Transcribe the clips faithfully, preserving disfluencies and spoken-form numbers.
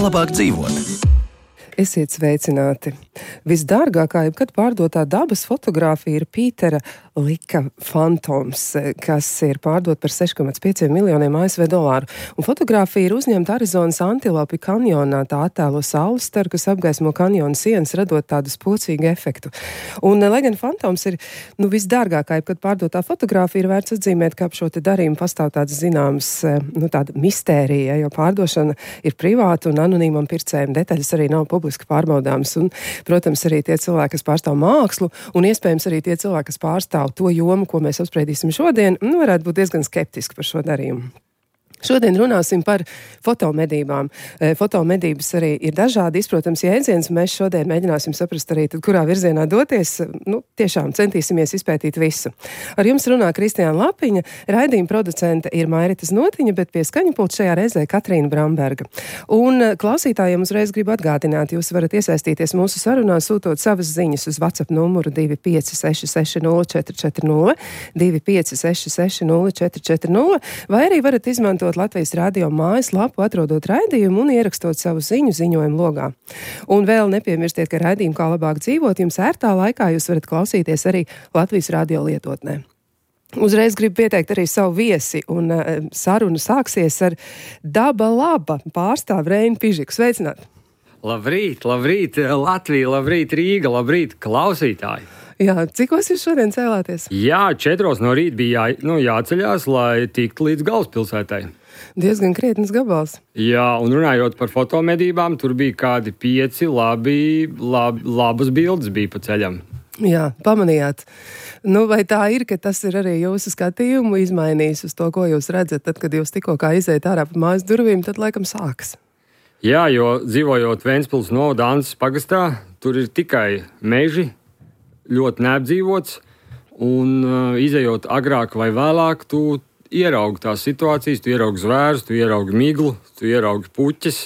Labāk dzīvot. Esiet sveicināti! Visdārgākā jebkad pārdotā dabas fotogrāfija ir Pītera Lika Phantoms, kas ir pārdot par seši komats pieci miljoniem A S V dolāru. Un fotogrāfija ir uzņemta Arizonas Antilopi kanjonā. Tā attēlo saules staru, kas apgaismo kanjona sienas, radot tādu spocīgu efektu. Un, lai gan Phantoms ir nu, visdārgākā jebkad pārdotā fotogrāfija, ir vērts atzīmēt, ka ap šo te darījumu pastāv tāds zināms, nu, tāda mistērija, jo pārdošana ir privāta un anonīmam pircējiem. Detaļas arī nav publiski pārbaudāmas. Un, protams, arī tie cilvēki, kas pārstāv mākslu, un iespējams arī tie cilvēki, kas pārstāv to jomu, ko mēs apspriedīsim šodien, nu, varētu būt diezgan skeptiski par šo darījumu. Šodien runāsim par fotomedībām. Fotomedības arī ir dažādi izprotams jēdziens, un mēs šodien mēģināsim saprast arī, tad, kurā virzienā doties. Nu, tiešām centīsimies izpētīt visu. Ar jums runā Kristiāna Lapiņa, raidījuma producente ir Mairita Znotiņa, bet pie skaņa pulta šajā reizē Katrīna Bramberga. Un klausītājiem uzreiz gribu atgādināt, jūs varat iesaistīties mūsu sarunā, sūtot savas ziņas uz WhatsApp numuru divi pieci seši seši nulle četri četri nulle, divi pieci seši seši nulle četri četri nulle, vai arī varat izmantot Latvijas radio mājaslapu, atrodot raidījumu un ierakstot savu ziņu ziņojumu logā. Un vēl nepiemirstiet, ka raidījumu Kā labāk dzīvot jums ērtā laikā jūs varat klausīties arī Latvijas radio lietotnē. Uzreiz gribu pieteikt arī savu viesi, un uh, saruna sāksies ar Daba laba pārstāvu Reinu Pižiku. Sveicināt! Labrīt, labrīt Latvija, labrīt Rīga, labrīt klausītāji! Jā, cikos jūs šodien cēlāties? Jā, četros no rīta bija jā, nu, jāceļās, lai tiktu līdz galvaspilsētai. Diezgan krietnes gabals. Jā, un runājot par fotomedībām, tur bija kādi pieci labi, lab, labas bildes bija pa ceļam. Jā, pamanījāt. Nu, vai tā ir, ka tas ir arī jūsu skatījumu izmainījis uz to, ko jūs redzat, tad, kad jūs tikko kā iziet ārā pa mājas durvīm, tad laikam sāks? Jā, jo dzīvojot Ventspils novada Anses pagastā, tur ir tikai meži, ļoti neapdzīvots, un uh, izejot agrāk vai vēlāk, tu ieraugi tās situācijas, tu ieraugi zvērus, tu ieraugi miglu, tu ieraugi puķes,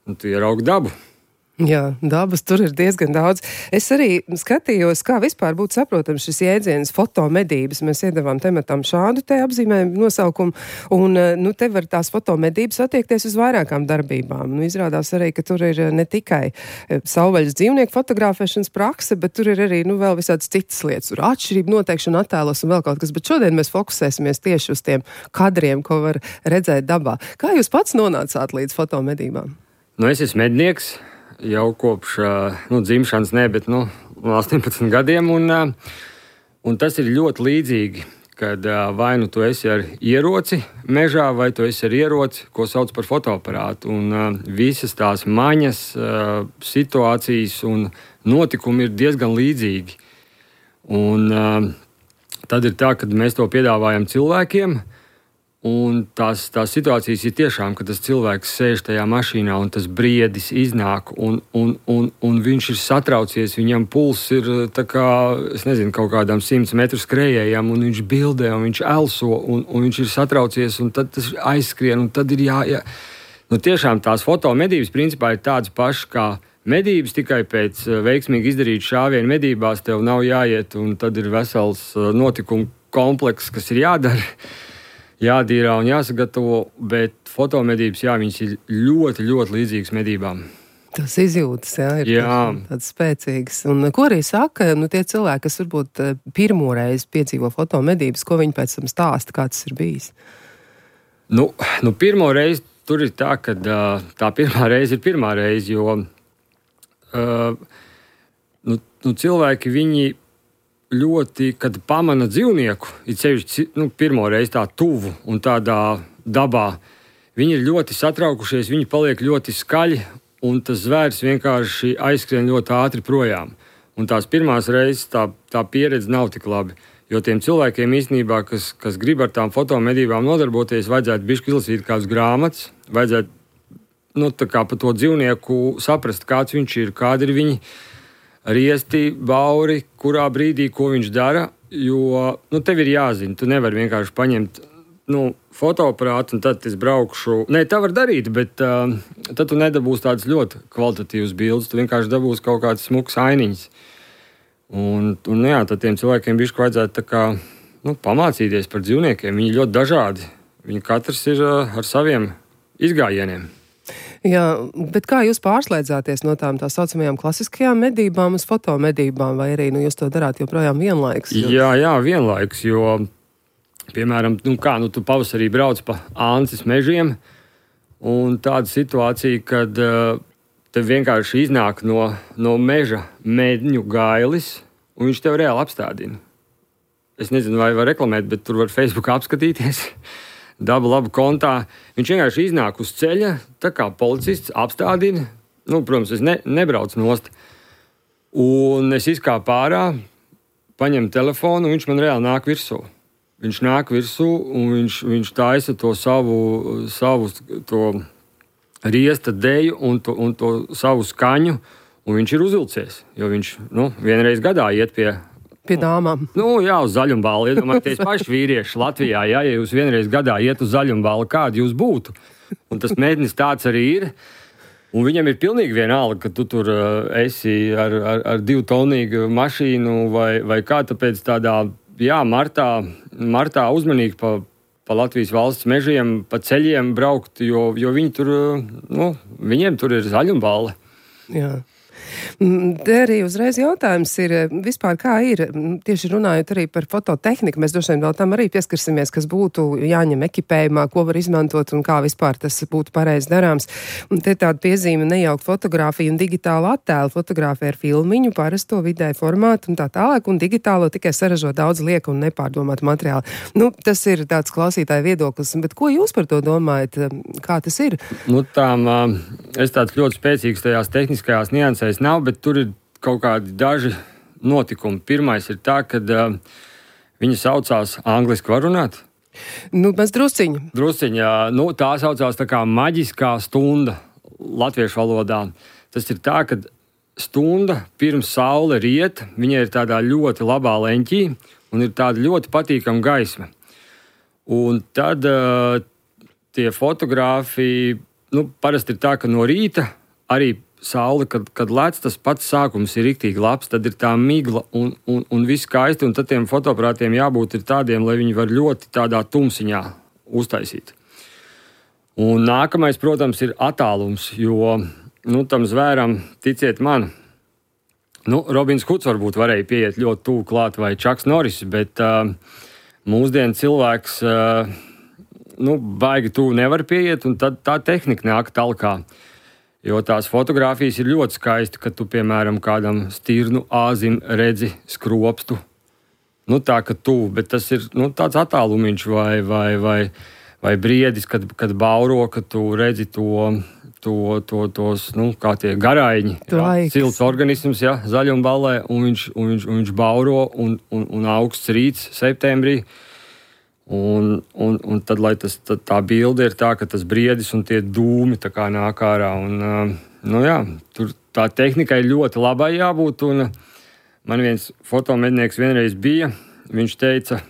un tu ieraugi dabu. Jā, dabas tur ir diezgan daudz. Es arī skatījos, kā vispār būtu saprotams šis jēdziens fotomedības. Mēs iedavām tematam šādu te apzīmējumu nosaukumu, un nu, te var tās fotomedības attiekties uz vairākām darbībām. Nu, izrādās arī, ka tur ir ne tikai savvaļas dzīvnieku fotografēšanas prakse, bet tur ir arī nu, vēl visādas citas lietas. Tur atšķirība noteikšana attēlos un vēl kaut kas, bet šodien mēs fokusēsimies tieši uz tiem kadriem, ko var redzēt dabā. Kā jūs pats nonācāt līdz fotomedībām? Nu, es esmu mednieks. Jau kopš nu, dzimšanas, ne, bet nu, astoņpadsmit gadiem. Un, un tas ir ļoti līdzīgi, kad vai nu tu esi ar ieroci mežā, vai tu esi ar ieroci, ko sauc par fotoaparātu. Un visas tās maņas, situācijas un notikumi ir diezgan līdzīgi. Un tad ir tā, kad mēs to piedāvājam cilvēkiem. Un tās, tās situācijas ir tiešām, ka tas cilvēks sēž tajā mašīnā un tas briedis iznāk, un, un, un, un viņš ir satraucies, viņam pulss ir tā kā, es nezinu, kaut kādām simts metru skrējējām, un viņš bildē, un viņš elso, un, un viņš ir satraucies, un tad tas aizskrien, un tad ir jā, jā. Nu, tiešām tās fotomedības principā ir tādas pašas kā medības, tikai pēc veiksmīgi izdarīt šāvienu medībās tev nav jāiet, un tad ir vesels notikumu komplekss, kas ir jādara. Jādīrā un jāsagatavo, bet fotomedības, jā, viņas ir ļoti, ļoti līdzīgas medībām. Tas izjūtas, jā, ir jā. tāds spēcīgs. Un ko arī saka, nu tie cilvēki, kas varbūt pirmo reizi piedzīvo fotomedības, ko viņi pēc tam stāsta, kā tas ir bijis? Nu, nu pirmo reizi tur ir tā, ka tā pirmā reize ir pirmā reize, jo uh, nu, nu, cilvēki, viņi ļoti, kad pamana dzīvnieku, ir sevišķi nu, pirmo reizi tā tuvu un tādā dabā, viņi ir ļoti satraukušies, viņi paliek ļoti skaļi, un tas zvērs vienkārši aizskrien ļoti ātri projām. Un tās pirmās reizes tā, tā pieredze nav tik labi, jo tiem cilvēkiem īstenībā, kas, kas grib ar tām fotomedībām nodarboties, vajadzētu bišķi izlasīt kādas grāmatas, vajadzētu nu, tā kā par to dzīvnieku saprast, kāds viņš ir, kādi ir viņi riesti, bauri, kurā brīdī, ko viņš dara, jo nu, tev ir jāzina, tu nevari vienkārši paņemt nu, fotoaparātu un tad es braukšu. Nē, tā var darīt, bet uh, tad tu nedabūsi tādas ļoti kvalitatīvas bildes, tu vienkārši dabūsi kaut kādas smukas ainiņas. Un, un jā, tad tiem cilvēkiem bišķi vajadzētu tā kā, nu, pamācīties par dzīvniekiem. Viņi ļoti dažādi. Viņi katrs ir uh, ar saviem izgājieniem. Jā, bet kā jūs pārslēdzāties no tām tā saucamajām klasiskajām medībām uz fotomedībām, vai arī nu, jūs to darāt joprojām vienlaikus? Jo... Jā, jā, vienlaikus, jo, piemēram, nu kā, nu tu pavasarī brauc pa Ances mežiem, un tāda situācija, kad uh, tev vienkārši iznāk no, no meža medņu gailis, un viņš tev reāli apstādina. Es nezinu, vai var reklamēt, bet tur var Facebookā apskatīties. Daba laba kontā. Viņš vienkārši iznāk uz ceļa, tā kā policists apstādina. Nu, protams, es ne, nebraucu nost. Un es izkāpu ārā, paņemu telefonu, un viņš man reāli nāk virsū. Viņš nāk virsū, un viņš, viņš taisa to savu, savu to riesta deju un to, un to savu skaņu, un viņš ir uzvilcies. Jo viņš nu, vienreiz gadā iet pie Pie dāmām. Nu, jā, uz zaļumballi. Iedomājieties paši vīrieši Latvijā, jā, ja jūs vienreiz gadā iet uz zaļumballi, kādi jūs būtu. Un tas mednis tāds arī ir. Un viņam ir pilnīgi vienalga, ka tu tur uh, esi ar, ar, ar divu tonīgu mašīnu vai, vai kā, tāpēc tādā, jā, martā, martā uzmanīgi pa, pa Latvijas valsts mežiem, pa ceļiem braukt, jo, jo viņi tur, nu, viņiem tur ir zaļumballi. Jā. Te arī uzreiz jautājums ir vispār kā ir, tieši runājot arī par fototehniku, mēs droši vien vēl tam arī pieskarsimies, kas būtu jāņem ekipējumā, ko var izmantot un kā vispār tas būtu pareizi darāms. Un te tāda piezīme nejaukt fotografiju un digitālu attēlu, fotografē ar filmiņu, parasto vidēju formātu un tā tālāk, un digitālo tikai saražo daudz lieka un nepārdomātu materiālu. Nu, tas ir tāds klausītāja viedoklis, bet ko jūs par to domājat? Kā tas ir? Nu, tām, es tāds ļoti spēcīgs tajās tehniskajās niansēs nav, bet tur ir kaut kādi daži notikumi. Pirmais ir tā, ka uh, viņa saucās angliski var runāt? Nu, mēs drusciņu. Drusciņā, nu, tā saucās tā kā maģiskā stunda latviešu valodā. Tas ir tā, ka stunda pirms saule riet, viņa ir tādā ļoti labā leņķī un ir tāda ļoti patīkama gaisma. Un tad uh, tie fotogrāfi, nu, parasti ir tā, ka no rīta arī saule, kad, kad lec, tas pats sākums ir riktīgi labs, tad ir tā migla un, un, un viss skaisti, un tad tiem fotoaparātiem jābūt ir tādiem, lai viņi var ļoti tādā tumsiņā uztaisīt. Un nākamais, protams, ir attālums, jo, nu, tam zvēram, ticiet man, nu, Robins Huds varbūt varēja pieiet ļoti tuvu klāt vai Čaks Noris, bet uh, mūsdienu cilvēks, uh, nu, baigi tuvu nevar pieiet, un tad tā tehnika nāk talkā. Jo tās fotogrāfijas ir ļoti skaisti, kad tu, piemēram, kādam stirnu āzim redzi skropstu. Nu, tā, ka tu, bet tas ir nu, tāds attālumiņš vai, vai, vai, vai briedis, kad, kad bauro, ka tu redzi to, to, to tos, nu, kā tie garaiņi. Silts organisms, jā, zaļumballē, un viņš, un viņš, un viņš bauro, un, un, un augsts rīts septembrī. Un, un, un tad, lai tas, tad tā bilde ir tā, ka tas briedis un tie dūmi tā kā nāk ārā. Un, nu jā, tur tā tehnikai ļoti labai jābūt. Un man viens fotomednieks vienreiz bija, viņš teica,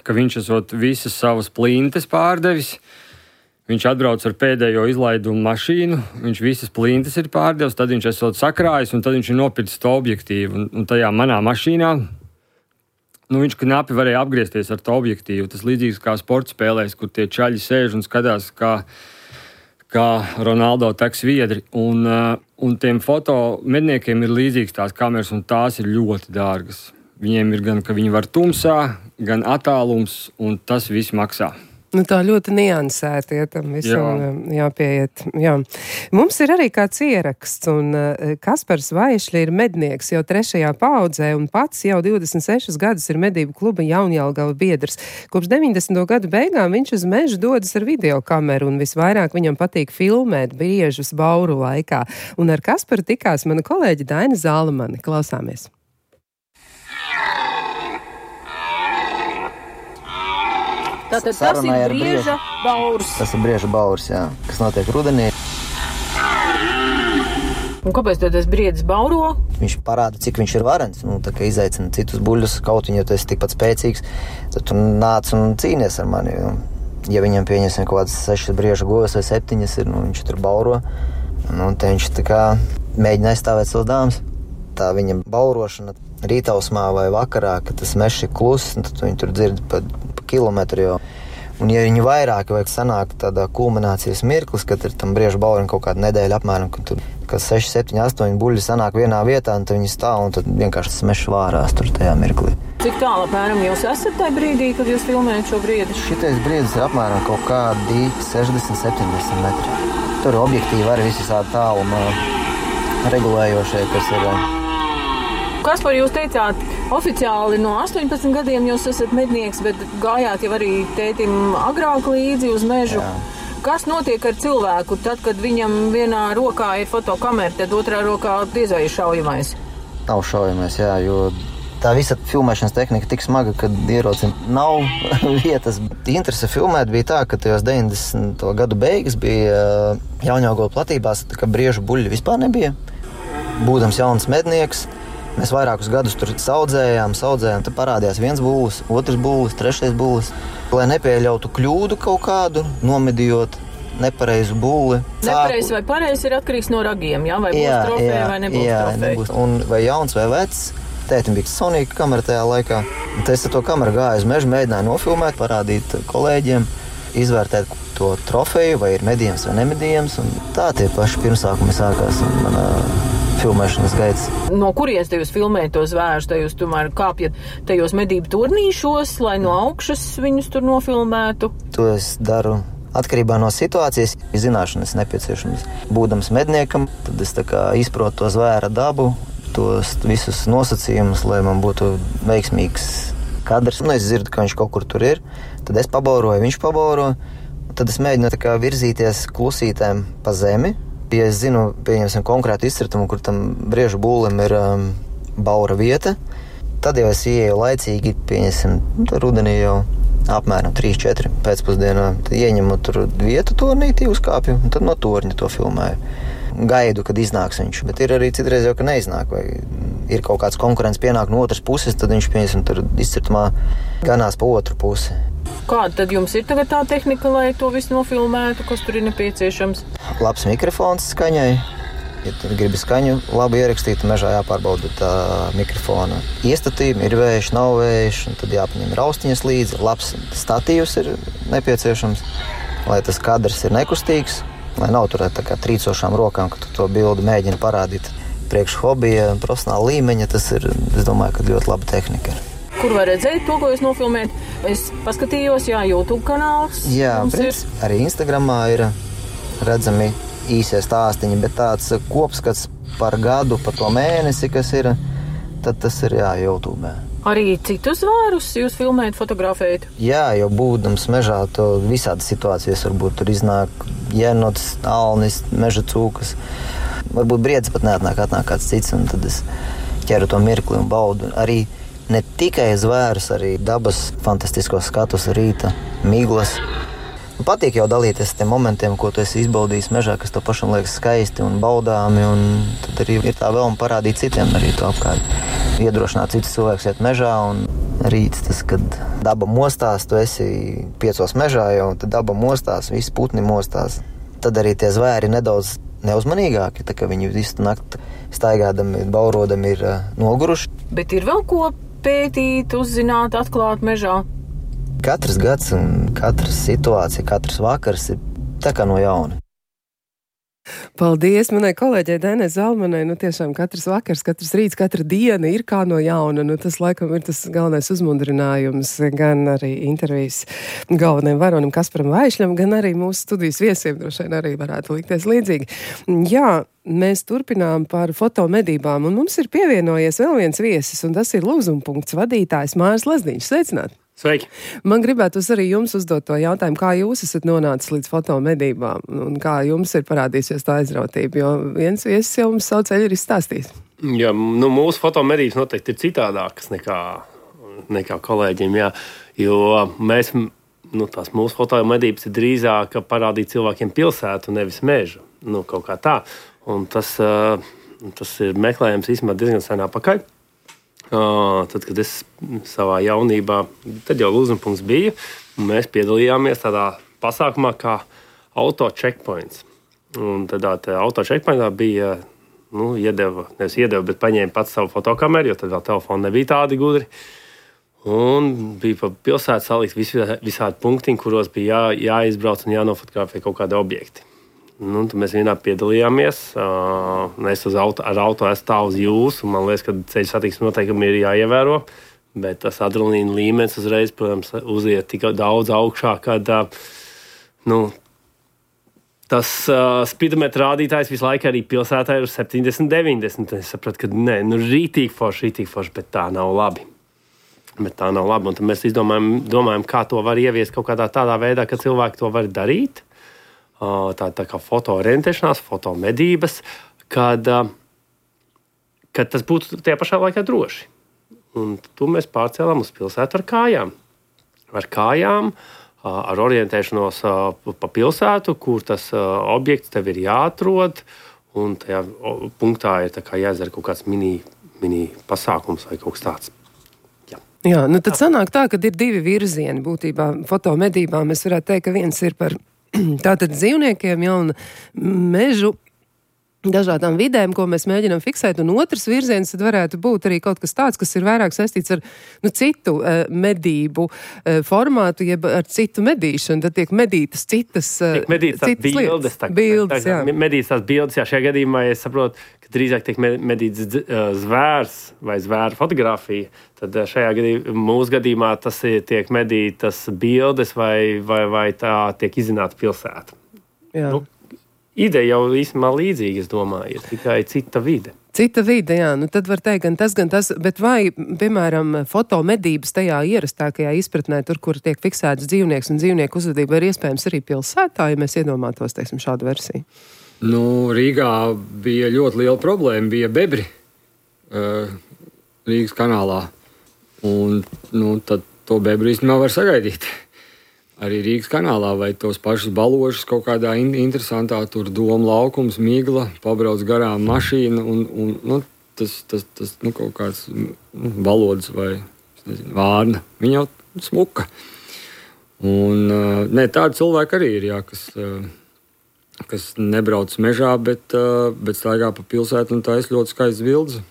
ka viņš esot visas savas plintes pārdevis. Viņš atbrauc ar pēdējo izlaidumu mašīnu, viņš visas plintes ir pārdevis, tad viņš esot sakrājis un tad viņš ir nopircis to objektīvu. Un, un tajā manā mašīnā nu, viņš knapi varēja apgriezties ar to objektīvu. Tas līdzīgs kā sporta spēlēs, kur tie čaļi sēž un skatās, kā, kā Ronaldo tek sviedri. Un, un tiem fotomedniekiem ir līdzīgs tās kameras, un tās ir ļoti dārgas. Viņiem ir gan, ka viņi var tumsā, gan attālums, un tas viss maksā. Nu, tā ļoti niansēti, ja tam visam jā. jāpieiet. Jā. Mums ir arī kāds ieraksts, un uh, Kaspars Vaišļi ir mednieks jau trešajā paaudzē, un pats jau divdesmit sešus gadus ir medību kluba Jaunjelgava biedrs. Kopš deviņdesmito gadu beigām viņš uz mežu dodas ar videokameru, un visvairāk viņam patīk filmēt briežus bauru laikā. Un ar Kasparu tikās mana kolēģe Daina Zālamane. Klausāmies! Tātad tas ir brieža baurs. Tas ir brieža baurs, jā, kas notiek rudenī. Un kāpēc tad tas briedis bauro? Viņš parāda, cik viņš ir varens, nu, tā kā izaicina citus buļļus, kaut viņu, ja tu esi tikpat spēcīgs, tad tu nāc un cīnies ar mani. Ja viņam pieņemsim kaut kādas sešas brieža govis vai septiņas ir, nu, viņš tur bauro, nu, te viņš tā kā mēģina aizstāvēt savas dāmas. Tā viņa baurošana rītausmā vai vakarā, kad tas mežs ir kluss, tad viņi tur dzird pa, pa kilometru jau. Un ja viņi vairāki vajag sanākt tādā kulminācijas mirklis, kad ir tam briežu baurim kaut kāda nedēļa apmēram, kad tur kad seši, septiņi, astoņi buļļi sanāk vienā vietā, un tad viņi stāv, un tad vienkārši tas mežs vārās tur tajā mirklī. Cik tālu apmēram jūs esat tajā brīdī, kad jūs filmējat šo briedi? Šitais briedis ir apmēram kaut kādi sešdesmit, septiņdesmit metri. Tur objektīvi arī visi tādi tālumā regulējošie, kas ir... Kaspar, jūs teicāt, oficiāli no astoņpadsmit gadiem jūs esat mednieks, bet gājāt jau arī tētim agrāk līdzi uz mežu. Jā. Kas notiek ar cilvēku tad, kad viņam vienā rokā ir fotokamera, tad otrā rokā diez vai ir šaujamais? Nav šaujamais, jā, jo tā visa filmēšanas tehnika tik smaga, ka ierocim nav vietas. Interese filmēt bija tā, ka tajos deviņdesmito gadu beigas bija Jaunjaugola platībās, tā kā briežu buļļi vispār nebija. Būdams jauns mednieks, mēs vairākus gadus tur saudzējām, saudzējām, tad parādījās viens būlis, otrs būlis, trešais būlis. Lai nepieļautu kļūdu kaut kādu, nomedījot nepareizu būli. Nepareizi vai pareizi ir atkarīgs no ragiem, jā? Vai būs jā, trofeja vai nebūs jā, trofeja? Nebūs. Un vai jauns vai vecs. Tētim bija Sonīka kamera tajā laikā. Un es ar to kameru gāju uz mežu, mēģināju nofilmēt, parādīt kolēģiem, izvērtēt to trofeju, vai ir medījams vai nemedījams. Un tā tie paši pirmsākumi sākās manā filmēšanas gaids. No kuries te jūs filmējat tos zvērus? Te jūs tomēr kāpjat tajos medību turnīšos, lai no augšas viņus tur nofilmētu? To es daru atkarībā no situācijas. Zināšanas nepieciešams. Būdams medniekam, tad es tā kā izprotu to zvēra dabu, tos visus nosacījumus, lai man būtu veiksmīgs kadrs. Nu, es dzirdu, ka viņš kaut kur tur ir, tad es pabauroju, viņš pabauro, tad es mēģinu tā kā virzīties klusītēm pa zemi. Ja es zinu, pieņemsim konkrētu izcirtumu, kur tam briežu būlim ir um, baura vieta, tad jau es ieeju laicīgi, pieņemsim, tur rudenī jau apmēram trīs četri pēcpusdienā. Tad ieņemu tur vietu tornītī, uzkāpju, un tad no torņa to filmēju. Gaidu, kad iznāks viņš, bet ir arī citreiz jau, ka neiznāk, vai ir kaut kāds konkurents pienāk no otras puses, tad viņš, pieņemsim, tur izcirtumā ganās pa otru pusi. Kāda tad jums ir tagad tā tehnika, lai to visu nofilmētu, kas tur ir nepieciešams? Labs mikrofons skaņai. Ja tu gribi skaņu labi ierakstīt, mežā jāpārbauda tā mikrofona iestatījumi, ir vējš, nav vējš, un tad jāpaņem raustiņas līdzi. Labs statīvs ir nepieciešams, lai tas kadrs ir nekustīgs, lai nav tur tā kā trīcošām rokām, ka tu to bildi mēģini parādīt. Priekš hobija, profesionāla līmeņa, tas ir, es domāju, ka ļoti laba tehnika ir. Kur var redzēt to, ko jūs nofilmējat? Es paskatījos, jā, YouTube kanāls. Jā, prins, arī Instagramā ir redzami īsie stāstiņi, bet tāds kopskats par gadu, par to mēnesi, kas ir, tad tas ir, jā, YouTube. Arī citus zvērus jūs filmējat, fotografējat? Jā, jo būdams mežā, to visādas situācijas varbūt tur iznāk jenots, alnis, meža cūkas. Varbūt briedis pat neatnāk, atnāk kāds cits, un tad es ķeru to mirkli un baudu. Arī ne tikai zvērus, arī dabas fantastiskos skatus, rīta, miglas. Patīk jau dalīties tiem momentiem, ko tu esi izbaudījis mežā, kas tev pašam liekas skaisti un baudāmi, un tad arī ir tā vēlme parādīt citiem arī to apkārt. Iedrošināt citus cilvēkus iet mežā, un rīts tas, kad daba mostās, tu esi piecos mežā jau, tad daba mostās, visi putni mostās. Tad arī tie zvēri nedaudz neuzmanīgāki, tā kā viņi visu nakti staigādami, baurodami ir uh, noguruši. Bet ir vēl ko pētīt, uzzināt, atklāt mežā? Katrs gads un katras situācija, katrs vakars ir tā kā no jauna. Paldies manai kolēģei Dainai Zalmanai. Nu, tiešām katrs vakars, katrs rīts, katra diena ir kā no jauna. Nu, tas laikam ir tas galvenais uzmundrinājums gan arī intervijas galvenajam varonim Kasparam Vaišļam, gan arī mūsu studijas viesiem droši vien arī varētu likties līdzīgi. Jā, mēs turpinām par fotomedībām, un mums ir pievienojies vēl viens viesis, un tas ir Lūzumpunkts vadītājs Māris Lazdiņš. Sveicināt! Sveiki! Man gribētu arī jums uzdot to jautājumu, kā jūs esat nonācis līdz fotomedībām un kā jums ir parādīsies tā aizrautība, jo viens viesis jau mums savu ceļu ir izstāstījis. Jā, nu, mūsu fotomedības noteikti ir citādākas nekā, nekā kolēģiem, jā, jo mēs, nu, tās mūsu fotomedības ir drīzāk parādīt cilvēkiem pilsētu, nevis mežu, nu, kaut kā tā. Un tas, Tas ir meklējums īstenībā diezgan sen atpakaļ. Uh, tad, kad es savā jaunībā, tad jau lūzumpunkts bija, un mēs piedalījāmies tādā pasākumā kā auto checkpoints. Un tādā auto checkpointā bija, nu, iedeva, nevis iedeva, bet paņēma pats savu fotokameru, jo tad vēl telefoni nebija tādi gudri. Un bija pa pilsētu salikt visādi punktiņi, kuros bija jā, jāizbrauc un jānofotografē kaut kādi objekti. Nu, tad mēs vienā piedalījāmies. Uh, es uz auto, ar auto stāvu uz jūsu, un man liekas, ka ceļu satiksmes noteikumi ir jāievēro. Bet tas adrenalīna līmenis uzreiz, protams, uziet tik daudz augšā, kad uh, nu, tas uh, spidometra rādītājs visu laiku arī pilsētā ir uz septiņdesmit, deviņdesmit. Es sapratu, ka nē, nu rītīgi forši, rītīgi forši, bet tā nav labi. Bet tā nav labi. Un tad mēs izdomājam, domājam, kā to var ieviest kaut kādā tādā veidā, ka cilvēki to var darīt. Uh, tā, tā kā fotoorientēšanās, fotomedības, kad, uh, kad tas būtu tajā pašā laikā droši. Un to mēs pārcēlām uz pilsētu ar kājām. Ar kājām, ar orientēšanos pa pilsētu, kur tas objekts tev ir jāatrod, un tajā punktā ir tā kā jāizdara kaut kāds mini, mini pasākums vai kaut kas tāds. Jā, Jā nu tad sanāk tā, ka ir divi virzieni būtībā fotomedībām. Mēs varētu teikt, ka viens ir par tātad dzīvniekiem, ja, un mežu dažādām vidēm, ko mēs mēģinām fiksēt, un otrs virziens tad varētu būt arī kaut kas tāds, kas ir vairāk saistīts ar nu, citu uh, medību uh, formātu, jeb ar citu medīšanu, tad tiek medītas citas uh, tiek medītas tās bildes, tā, bildes tā, jā. Medītas tās bildes, jā, šajā gadījumā es saprotu, ka drīzāk tiek medīts zvērs vai zvēra fotografija, tad šajā gadījumā, mūsu gadījumā tas ir, tiek medītas bildes vai, vai, vai tā tiek izzināta pilsēta. Jā. Nu, ideja jau īstenībā līdzīga, es domāju, ir tikai cita vide. Cita vide, jā, nu tad var teikt gan tas, gan tas, bet vai, piemēram, fotomedības tajā ierastākajā izpratnē, tur, kur tiek fiksēts dzīvnieks un dzīvnieku uzvedība, ir iespējams arī pilsētā, ja mēs iedomātos, teiksim, šādu versiju? Nu, Rīgā bija ļoti liela problēma, bija bebri uh, Rīgas kanālā, un nu, tad to bebri īstenībā var sagaidīt. Arī Rīgas kanālā vai tos pašus balošus kaut kādā in- interesantā tur doma laukums, migla, pabrauc garām mašīna un, un nu, tas, tas, tas nu, kaut kāds nu, balods vai nezinu, vārna. Viņa jau smuka. Un, uh, ne, tādi cilvēki arī ir, jā, kas, uh, kas nebrauc mežā, bet, uh, bet staigā pa pilsētu un tā ir ļoti skaists bildes.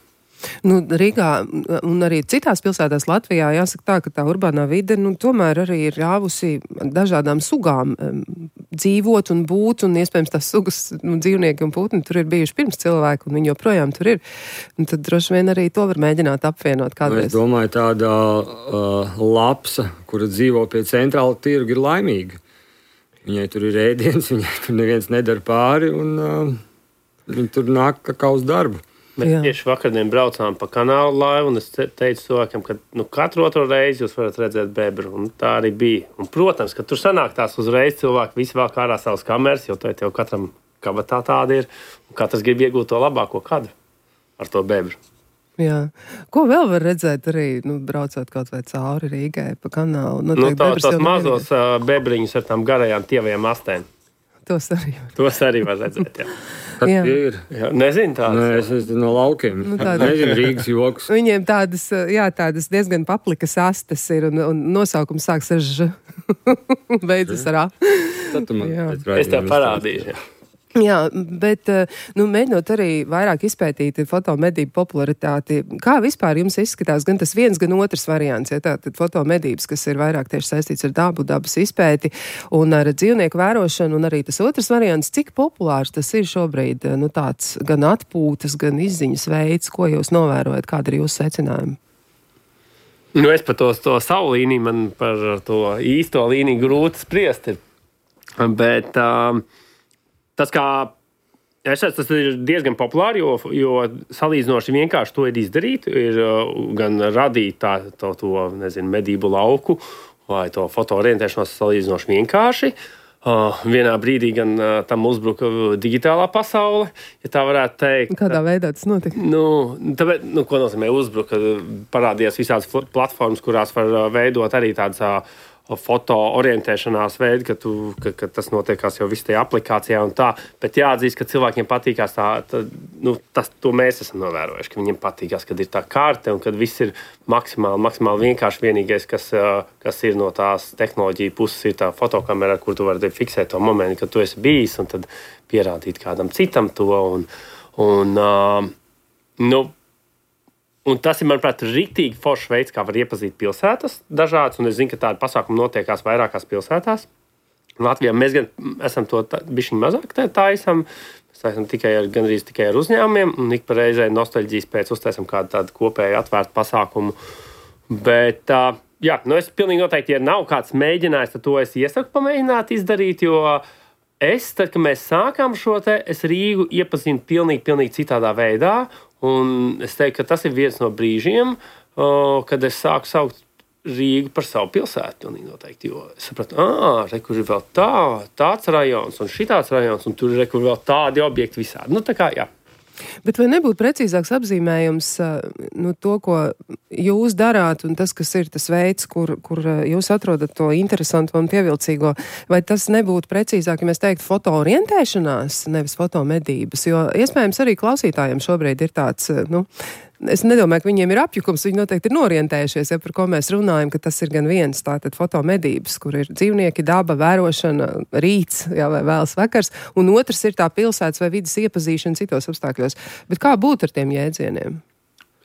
Nu, Rīgā un arī citās pilsētās Latvijā jāsaka tā, ka tā urbānā vide nu, tomēr arī ir ļāvusi dažādām sugām um, dzīvot un būt, un iespējams tās sugas nu, dzīvnieki un putni tur ir bijuši pirms cilvēku, un viņi joprojām tur ir. Un tad droši vien arī to var mēģināt apvienot kādreiz. Es domāju, tāda uh, lapsa, kura dzīvo pie centrāla tirga, ir laimīga. Viņai tur ir ēdiens, viņai tur neviens nedara pāri, un uh, viņi tur nāk kā uz darbu. Mēs Jā. tieši vakardien braucām pa kanālu laivu, un es teicu cilvēkam, ka nu, katru otro reizi jūs varat redzēt bebru, un tā arī bija. Un, protams, ka tur sanāk tās uzreiz cilvēki visi vēl kārā savas kameras, jo tā jau katram kabatā tāda ir, un katrs grib iegūt to labāko kadru ar to bebru. Jā. Ko vēl var redzēt arī, nu, braucot kaut vai cauri Rīgai pa kanālu? Nu, Noteikti tā, bebras tos jau mazos uh, bebriņus ar tām garajām tievajām astēm. Tos arī var. Tos arī var redzēt, jā. Kas Jā. tie ir? jā nezinu tādas. Nē, es esmu no laukiem. Nu, tāda- Nezinu Rīgas joks. Viņiem tādas, jā, tādas diezgan paplikas astes ir, un, un nosaukums sāks ar ž. Beidzas ar a. Tad tu man Jā. pēc Es tev raidījuma parādīšu. Jā. Jā, bet, nu, mēģinot arī vairāk izpētīt fotomedību popularitāti, kā vispār jums izskatās gan tas viens, gan otrs variants, ja tātad fotomedības, kas ir vairāk tieši saistīts ar dabu, dabas izpēti un ar dzīvnieku vērošanu, un arī tas otrs variants, cik populārs tas ir šobrīd, nu, tāds gan atpūtas, gan izziņas veids, ko jūs novērojat, kāda ir jūsu secinājuma? Nu, es par to, to savu līniju, man par to īsto līniju grūti spriest ir. Bet um, tas, kā es redzu, tas ir diezgan populāri, jo, jo salīdzinoši vienkārši to ir izdarīt. Ir uh, gan radīt tā, to, to nezinu, medību lauku vai to fotoorientēšanos salīdzinoši vienkārši. Uh, vienā brīdī gan uh, tam uzbruka digitālā pasaule, ja tā varētu teikt. Kādā veidā tas notika? Nu, tāpēc, nu, ko nozīmē uzbruka? Parādījās visādas platformas, kurās var veidot arī tādas foto orientēšanās veidi, ka, tu, ka, ka tas notiekās jau viss tajā aplikācijā un tā. Bet jāatzīst, ka cilvēkiem patīkās tā, tā nu, tas, to mēs esam novērojuši, ka viņiem patīkās, kad ir tā karte un kad viss ir maksimāli, maksimāli vienkārši. Vienīgais, kas, kas ir no tās tehnoloģija puses, ir tā fotokamera, kur tu vari fiksēt to momentu, kad tu esi bijis un tad pierādīt kādam citam to. Un, un, uh, nu, Un tas ir, manuprāt, rīktīgi foršs veids, kā var iepazīt pilsētas dažādas. Un es zinu, ka tādi pasākumi notiekās vairākās pilsētās. Latvijā mēs gan esam to bišķiņ mazāk taisam. Mēs taisam tikai ar, gandrīz tikai ar uzņēmumiem. Un ik pa reizē nostalģijas pēc uztaisam kādu tādu kopēju atvērtu pasākumu. Bet, jā, nu es pilnīgi noteikti, ja nav kāds mēģinājis, tad to es iesaku pamēģināt izdarīt, jo es, tad, kad mēs sākām šo te, es Rīgu iepazinu pilnīgi, pilnīgi citādā veidā. Un es teiktu, ka tas ir viens no brīžiem, kad es sāku saukt Rīgu par savu pilsētu. Pilnīgi noteikti, jo es sapratu, ah, re, kur ir vēl tā, tāds rajons un šitāds rajons, un tur ir re, kur vēl tādi objekti visādi. Nu, tā kā, jā. Bet vai nebūtu precīzāks apzīmējums nu, to, ko jūs darāt, un tas, kas ir tas veids, kur, kur jūs atrodat to interesantu un pievilcīgo, vai tas nebūtu precīzāk, ja mēs teiktu fotoorientēšanās, nevis fotomedības? Jo iespējams arī klausītājiem šobrīd ir tāds, nu, es nedomāju, ka viņiem ir apjukums, viņi noteikti ir norientējušies, ja par ko mēs runājam, ka tas ir gan viens tātad fotomedības, kur ir dzīvnieki, daba, vērošana, rīts, jā, vai vēls vakars, un otrs ir tā pilsētas vai vidas iepazīšana citos apstākļos. Bet kā būtu ar tiem jēdzieniem?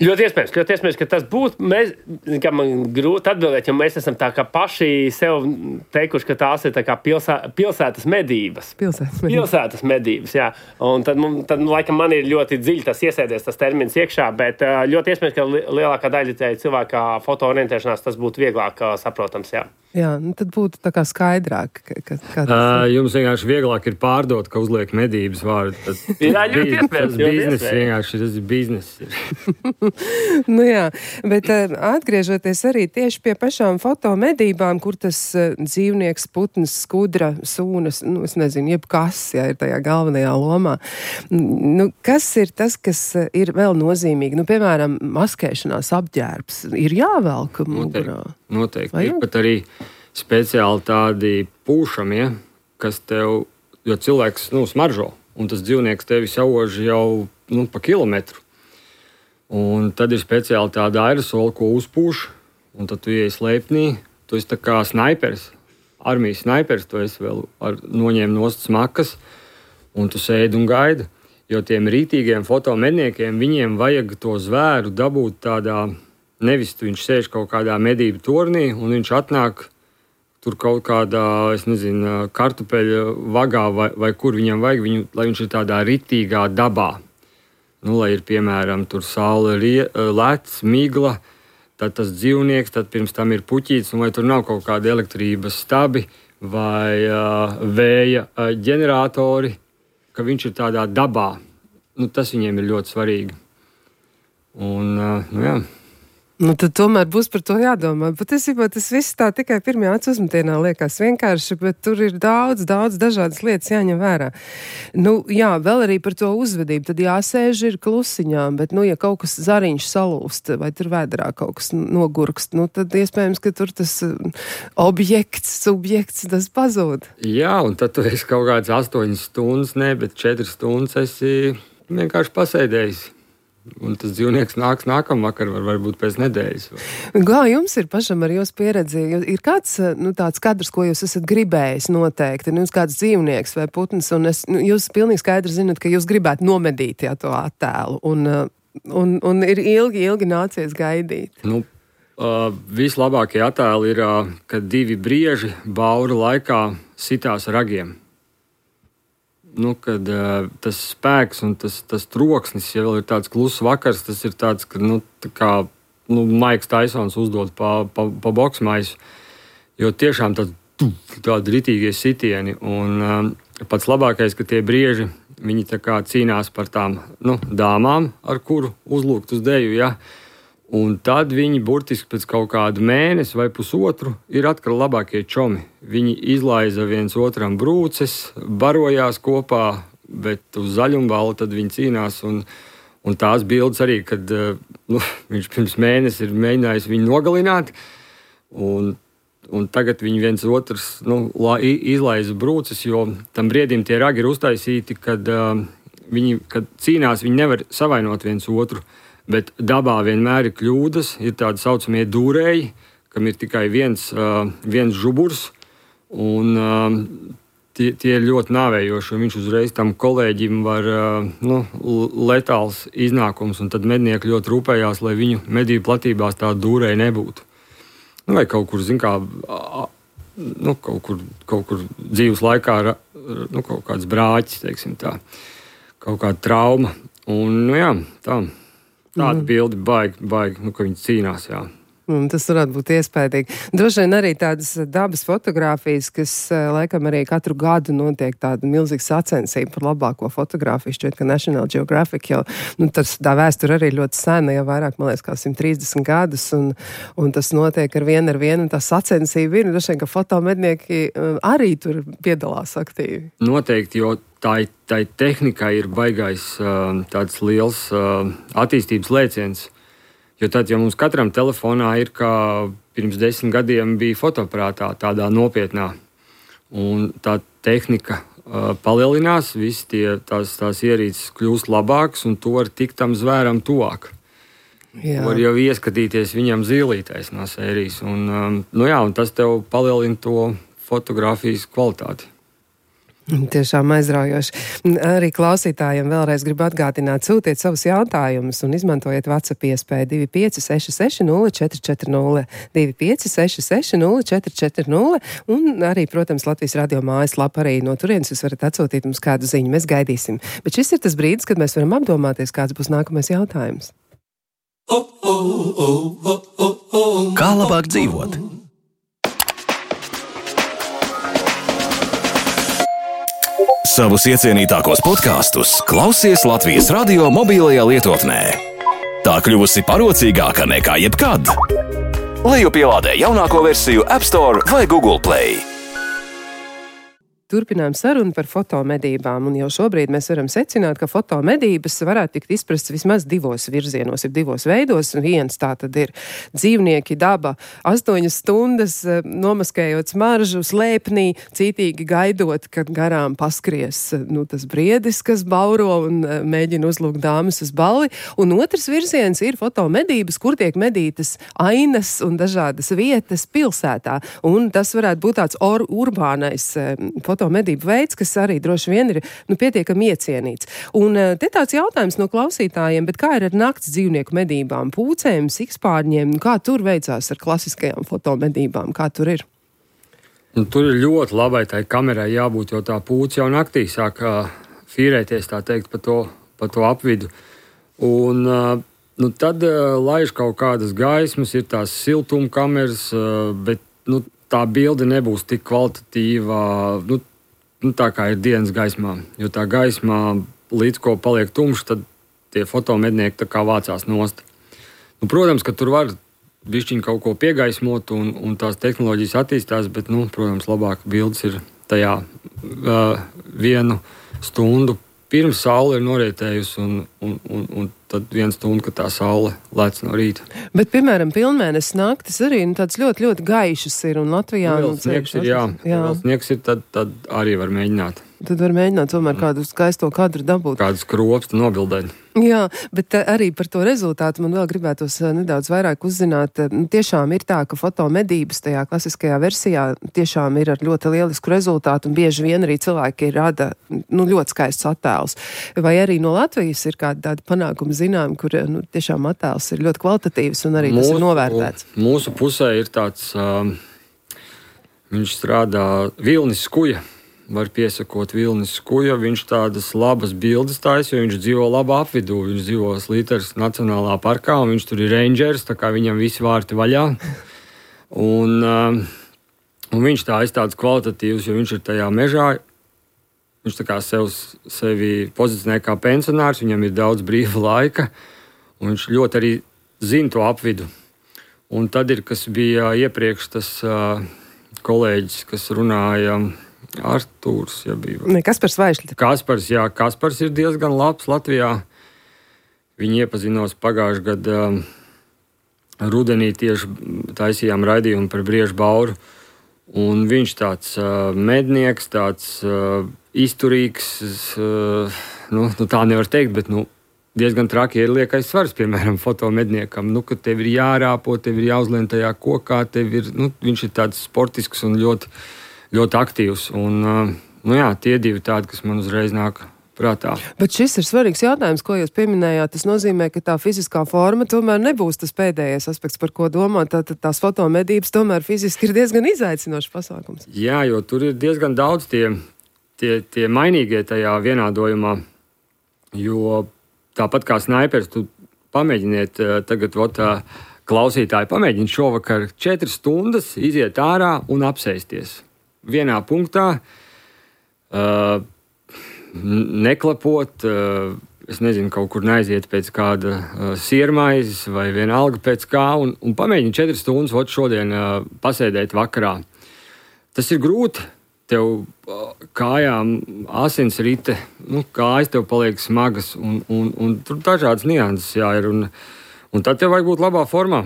Ļoti iespējams, ļoti iespējams, ka tas būtu. Mēs, kā man grūti atbildēt, jo mēs esam tā kā paši sev teikuši, ka tās ir tā kā pilsē, pilsētas medības. Pilsētas medības. Pilsētas medības, jā. Un tad, tad, laikam, man ir ļoti dziļi tas iesēdies, tas termins iekšā, bet ļoti iespējams, ka lielākā daļa cilvēka fotoorientēšanās tas būtu vieglāk saprotams, jā. Jā, nu tad būtu tā kā skaidrāk. Ka, ka, kā uh, jums vienkārši vieglāk ir pārdot, ka uzliek medības vārdu. Tas, jā, ļoti iespējams. Tas biznes vienkārši, tas ir biznes. Nu jā, bet uh, atgriežoties arī tieši pie pašām fotomedībām, kur tas uh, dzīvnieks, putns, skudra, sūnas, nu es nezinu, jebkas, jā, ir tajā galvenajā lomā. Nu, kas ir tas, kas ir vēl nozīmīgi? Nu, piemēram, maskēšanās apģērbs ir jāvelk mugurā. Noteikti. Ir pat arī speciāli tādi pūšamie, kas tev, jo cilvēks, nu, smaržo, un tas dzīvnieks tevi sauž jau, nu, pa kilometru. Un tad ir speciāli tāda aerosoli, ko uzpūš, un tad tu iej slēpnī, tu esi tā kā snaiperis, armijas snaiperis, tu esi vēl ar noņēm nost smakas, un tu sēdi un gaidi. Jo tiem rītīgiem fotomedniekiem, viņiem vajag to zvēru dabūt tādā, nevis viņš sēž kaut kādā medību tornī, un viņš atnāk tur kaut kādā, es nezinu, kartupeļa vagā, vai, vai kur viņam vajag, viņu, lai viņš ir tādā ritīgā dabā. Nu, lai ir, piemēram, tur saule, lec, migla, tad tas dzīvnieks, tad pirms tam ir puķīts, un vai tur nav kaut kāda elektrības stabi vai uh, vēja uh, ģeneratori, ka viņš ir tādā dabā. Nu, tas viņiem ir ļoti svarīgi. Un, uh, nu jā. Nu, tad tomēr būs par to jādomā. Patiesībā tas viss tā tikai pirmajā acu uzmetienā liekas vienkārši, bet tur ir daudz, daudz dažādas lietas jāņem vērā. Nu, jā, vēl arī par to uzvedību. Tad jāsēž ir klusiņā, bet, nu, ja kaut kas zariņš salūst vai tur vēdrā kaut kas nogurkst, nu, tad iespējams, ka tur tas objekts, subjekts, tas pazūd. Jā, un tad tu esi kaut kāds astoņas stundas, ne, bet četras stundas esi vienkārši pasēdējis. Un tas dzīvnieks nāks nākamvakar, var, varbūt pēc nedēļas. Kā jums ir pašam ar jūsu pieredzi? Ir kāds nu, tāds kadrs, ko jūs esat gribējis noteikti? Nu, jūs kāds dzīvnieks vai putns, un es, nu, jūs pilnīgi skaidri zinat, ka jūs gribētu nomedīt jā, to attēlu, un, un, un ir ilgi, ilgi nācies gaidīt. Nu, uh, vislabākie attēli ir, uh, kad divi brieži bauru laikā sitās ragiem. Nu, kad uh, tas spēks un tas, tas troksnis, ja vēl ir tāds kluss vakars, tas ir tāds, ka, nu, tā kā, nu, Maiks Taisons uzdod pa, pa, pa boksmaisu, jo tiešām tāds, tādi ritīgie sitieni, un um, pats labākais, ka tie brieži, viņi tā kā cīnās par tām, nu, dāmām, ar kuru uzlūgt uz deju, ja, un tad viņi burtiski pēc kaut kādu mēnesi vai pusotru ir atkal labākie čomi. Viņi izlaiza viens otram brūces, barojās kopā, bet uz zaļumbalu tad viņi cīnās. Un, un tās bildes arī, kad nu, viņš pirms mēnesi ir mēģinājis viņu nogalināt. Un un tagad viņi viens otrs nu, izlaiza brūces, jo tam briedim tie ragi ir uztaisīti, kad, uh, viņi, kad cīnās, viņi nevar savainot viens otru, bet dabā vienmēr ir kļūdas, ir tādi saucamie dūrēji, kam ir tikai viens, uh, viens žuburs, un uh, tie, tie ir ļoti nāvējoši, un viņš uzreiz tam kolēģim var uh, nu, letāls iznākums, un tad mednieki ļoti rūpējās, lai viņu medību platībās tā dūrēji nebūtu. Nu, vai kaut kur, zin kā, nu, kaut kur, kaut kur dzīves laikā, nu, kaut kāds brāķis, teiksim tā, kaut kāda trauma. Un, nu, jā, tā, tāda mm. bildi baigi, baigi, nu, ka viņi cīnās, jā. Un tas varētu būt iespējīgi. Droši vien arī tādas dabas fotogrāfijas, kas laikam arī katru gadu notiek tāda milzīga sacensība par labāko fotogrāfiju. Šķiet, ka National Geographic jau, nu, tas tā vēsture arī ļoti sena, jau vairāk, man liekas, kā simt trīsdesmit gadus, un, un tas notiek ar vienu ar vienu, un tā sacensība ir, un droši vien, ka fotomednieki arī tur piedalās aktīvi. Noteikti, jo tā, tā tehnika ir baigais tāds liels attīstības lēciens. Jo tad, ja mums katram telefonā ir, kā pirms desmit gadiem bija fotoaparātā, tādā nopietnā, un tā tehnika uh, palielinās, visi tie, tās, tās ierīces kļūst labākas, un to var tikt tam zvēram tuvāk. Jā. Var jau ieskatīties viņam zīlītais no sērijas, un, um, nu jā, un tas tev palielina to fotogrāfijas kvalitāti. Tiešām aizraujoši. Arī klausītājiem vēlreiz gribu atgādināt, sūtiet savus jautājumus un izmantojiet WhatsApp iespēju divi pieci seši seši nulle četri četri nulle, divi pieci seši seši nulle četri četri nulle, un arī, protams, Latvijas radio mājaslapa arī no turienes jūs varat atsūtīt mums kādu ziņu, mēs gaidīsim. Bet šis ir tas brīdis, kad mēs varam apdomāties, kāds būs nākamais jautājums. Kā labāk dzīvot? Savus iecienītākos podkastus klausies Latvijas radio mobilajā lietotnē. Tā kļuvusi parocīgāka nekā jebkad. Lejupielādē jaunāko versiju App Store vai Google Play. Turpinām sarunu par fotomedībām, un jau šobrīd mēs varam secināt, ka fotomedības varētu tikt izprasts vismaz divos virzienos, ir divos veidos, un viens tā tad ir dzīvnieki, daba, astoņas stundas nomaskējot smaržu, slēpnī, cītīgi gaidot, kad garām paskries nu, tas briedis, kas bauro un mēģina uzlūgt dāmas uz balli, un otrs virziens ir fotomedības, kur tiek medītas ainas un dažādas vietas pilsētā, un tas varētu būt tāds or, urbānais fotomedības medību veids, kas arī droši vien ir nu, pietiekami iecienīts. Un te tāds jautājums no klausītājiem, bet kā ir ar nakts dzīvnieku medībām, pūcēm, sikspārņiem, kā tur veicās ar klasiskajām fotomedībām, kā tur ir? Un tur ir ļoti labai tai kamerai jābūt, jo tā pūce jau naktī sāk uh, fīrēties, tā teikt, pa to, pa to apvidu. Un uh, nu, tad uh, laiž kaut kādas gaismas, ir tās siltumkameras, uh, bet nu, tā bilde nebūs tik kvalitatīva, nu, nu, tā kā ir dienas gaismā. Jo tā gaismā, līdz ko paliek tumšs, tad tie fotomednieki tā kā vācās nost. Nu, protams, ka tur var bišķiņ kaut ko piegaismot un, un tās tehnoloģijas attīstās, bet, nu, protams, labāk bildes ir tajā uh, vienu stundu pirms saule ir norietējusi un, un, un, un tad viena stunda, kad tā saule lec no rīta. Bet, piemēram, pilnmēnesis naktis arī nu, tāds ļoti, ļoti gaišas ir un Latvijā... Nu, vēl sniegs ir, jā. jā. Vēl sniegs ir, tad, tad arī var mēģināt. Tad var mēģināt tomēr kādu skaisto kadru dabūt. Kādus kropstu nobildēt. Jā, bet arī par to rezultātu man vēl gribētos nedaudz vairāk uzzināt. Nu, tiešām ir tā, ka fotomedības tajā klasiskajā versijā tiešām ir ar ļoti lielisku rezultātu un bieži vien arī cilvēki rada nu, ļoti skaists attēls. Vai arī no Latvijas ir kāda tāda panākuma zinām, kur nu, tiešām attēls ir ļoti kvalitatīvs un arī mūsu, tas ir novērtēts? Mūsu pusē ir tāds, um, viņš strādā Vilnis Skuja. Var piesakot Vilnis Skuja, viņš tādas labas bildes taisa, jo viņš dzīvo labā apvidū. Viņš dzīvo Slīteres Nacionālā parkā, un viņš tur ir rangers, tā kā viņam visi vārti vaļā. Un, um, un viņš tā ir tāds kvalitatīvs, jo viņš ir tajā mežā. Viņš tā kā sev, sevi pozicionē kā pensionārs, viņam ir daudz brīva laika, un viņš ļoti arī zina to apvidu. Un tad ir, kas bija iepriekš tas uh, kolēģis, kas runāja... Artūrs, ja bija. Ne, Kaspars Vaišļi. Kaspars, jā, Kaspars ir diezgan labs Latvijā. Viņi iepazinos pagājušajā gadā rudenī tieši taisījām raidījumu par Briežu bauru. Un viņš tāds uh, mednieks, tāds uh, izturīgs, uh, nu, nu tā nevar teikt, bet nu, diezgan traki ir liekais svars, piemēram, fotomedniekam. Nu, kad tev ir jārāpo, tev ir jāuzlien tajā kokā, tev ir, nu, viņš ir tāds sportisks un ļoti, ļoti aktīvs. Un, uh, nu jā, tie divi tādi, kas man uzreiz nāk prātā. Bet šis ir svarīgs jautājums, ko jūs pieminējāt. Tas nozīmē, ka tā fiziskā forma tomēr nebūs tas pēdējais aspekts, par ko domāt. Tātad tās fotomedības tomēr fiziski ir diezgan izaicinošs pasākums. Jā, jo tur ir diezgan daudz tie, tie, tie mainīgie tajā vienādojumā. Jo tāpat kā snaipers, tu pamēģiniet tagad, ot, klausītāji, pamēģiniet šovakar četras stundas iziet ārā un apsēsties. Vienā punktā. Uh, Neklapot, es nezinu, kaut kur neaiziet pēc kāda siermaizes vai vienalga pēc kā, un, un pamēģini četras stundas ot šodien pasēdēt vakarā. Tas ir grūti, tev kājām asins rite, nu, kājas tev paliek smagas, un, un, un tur dažādas nianses jāir, un, un tad tev vajag būt labā formā,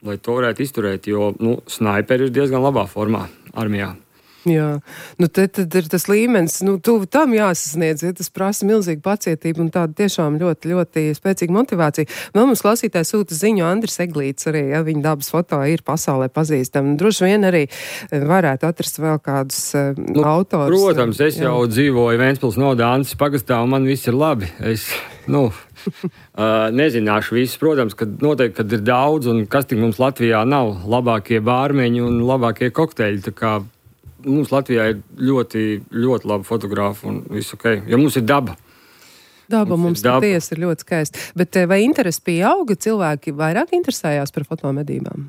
lai to varētu izturēt, jo, nu, snaiperi ir diezgan labā formā armijā. Jā, nu te tad ir tas līmenis, nu tuvu tam jāsasniedz, ja tas prasa milzīgu pacietību un tādu tiešām ļoti, ļoti spēcīgu motivāciju. Vēl mums klausītājs sūta ziņu Andris Eglīts arī, ja viņa dabas foto ir pasaulē pazīstama. Droši vien arī varētu atrast vēl kādus nu, autors. Protams, es jā. jau dzīvoju Ventspils nodā Antis pagastā un man viss ir labi. Es, nu, uh, nezināšu visus, protams, kad noteikti, kad ir daudz un kas tik mums Latvijā nav labākie bārmeņi un labākie kokteļi, tā kā mums Latvijā ir ļoti, ļoti labi fotografi un viss ok, jo mums ir daba. Daba mums, mums patiesi ir ļoti skaisti. Bet vai interesi pieauga, cilvēki vairāk interesējās par fotomedībām?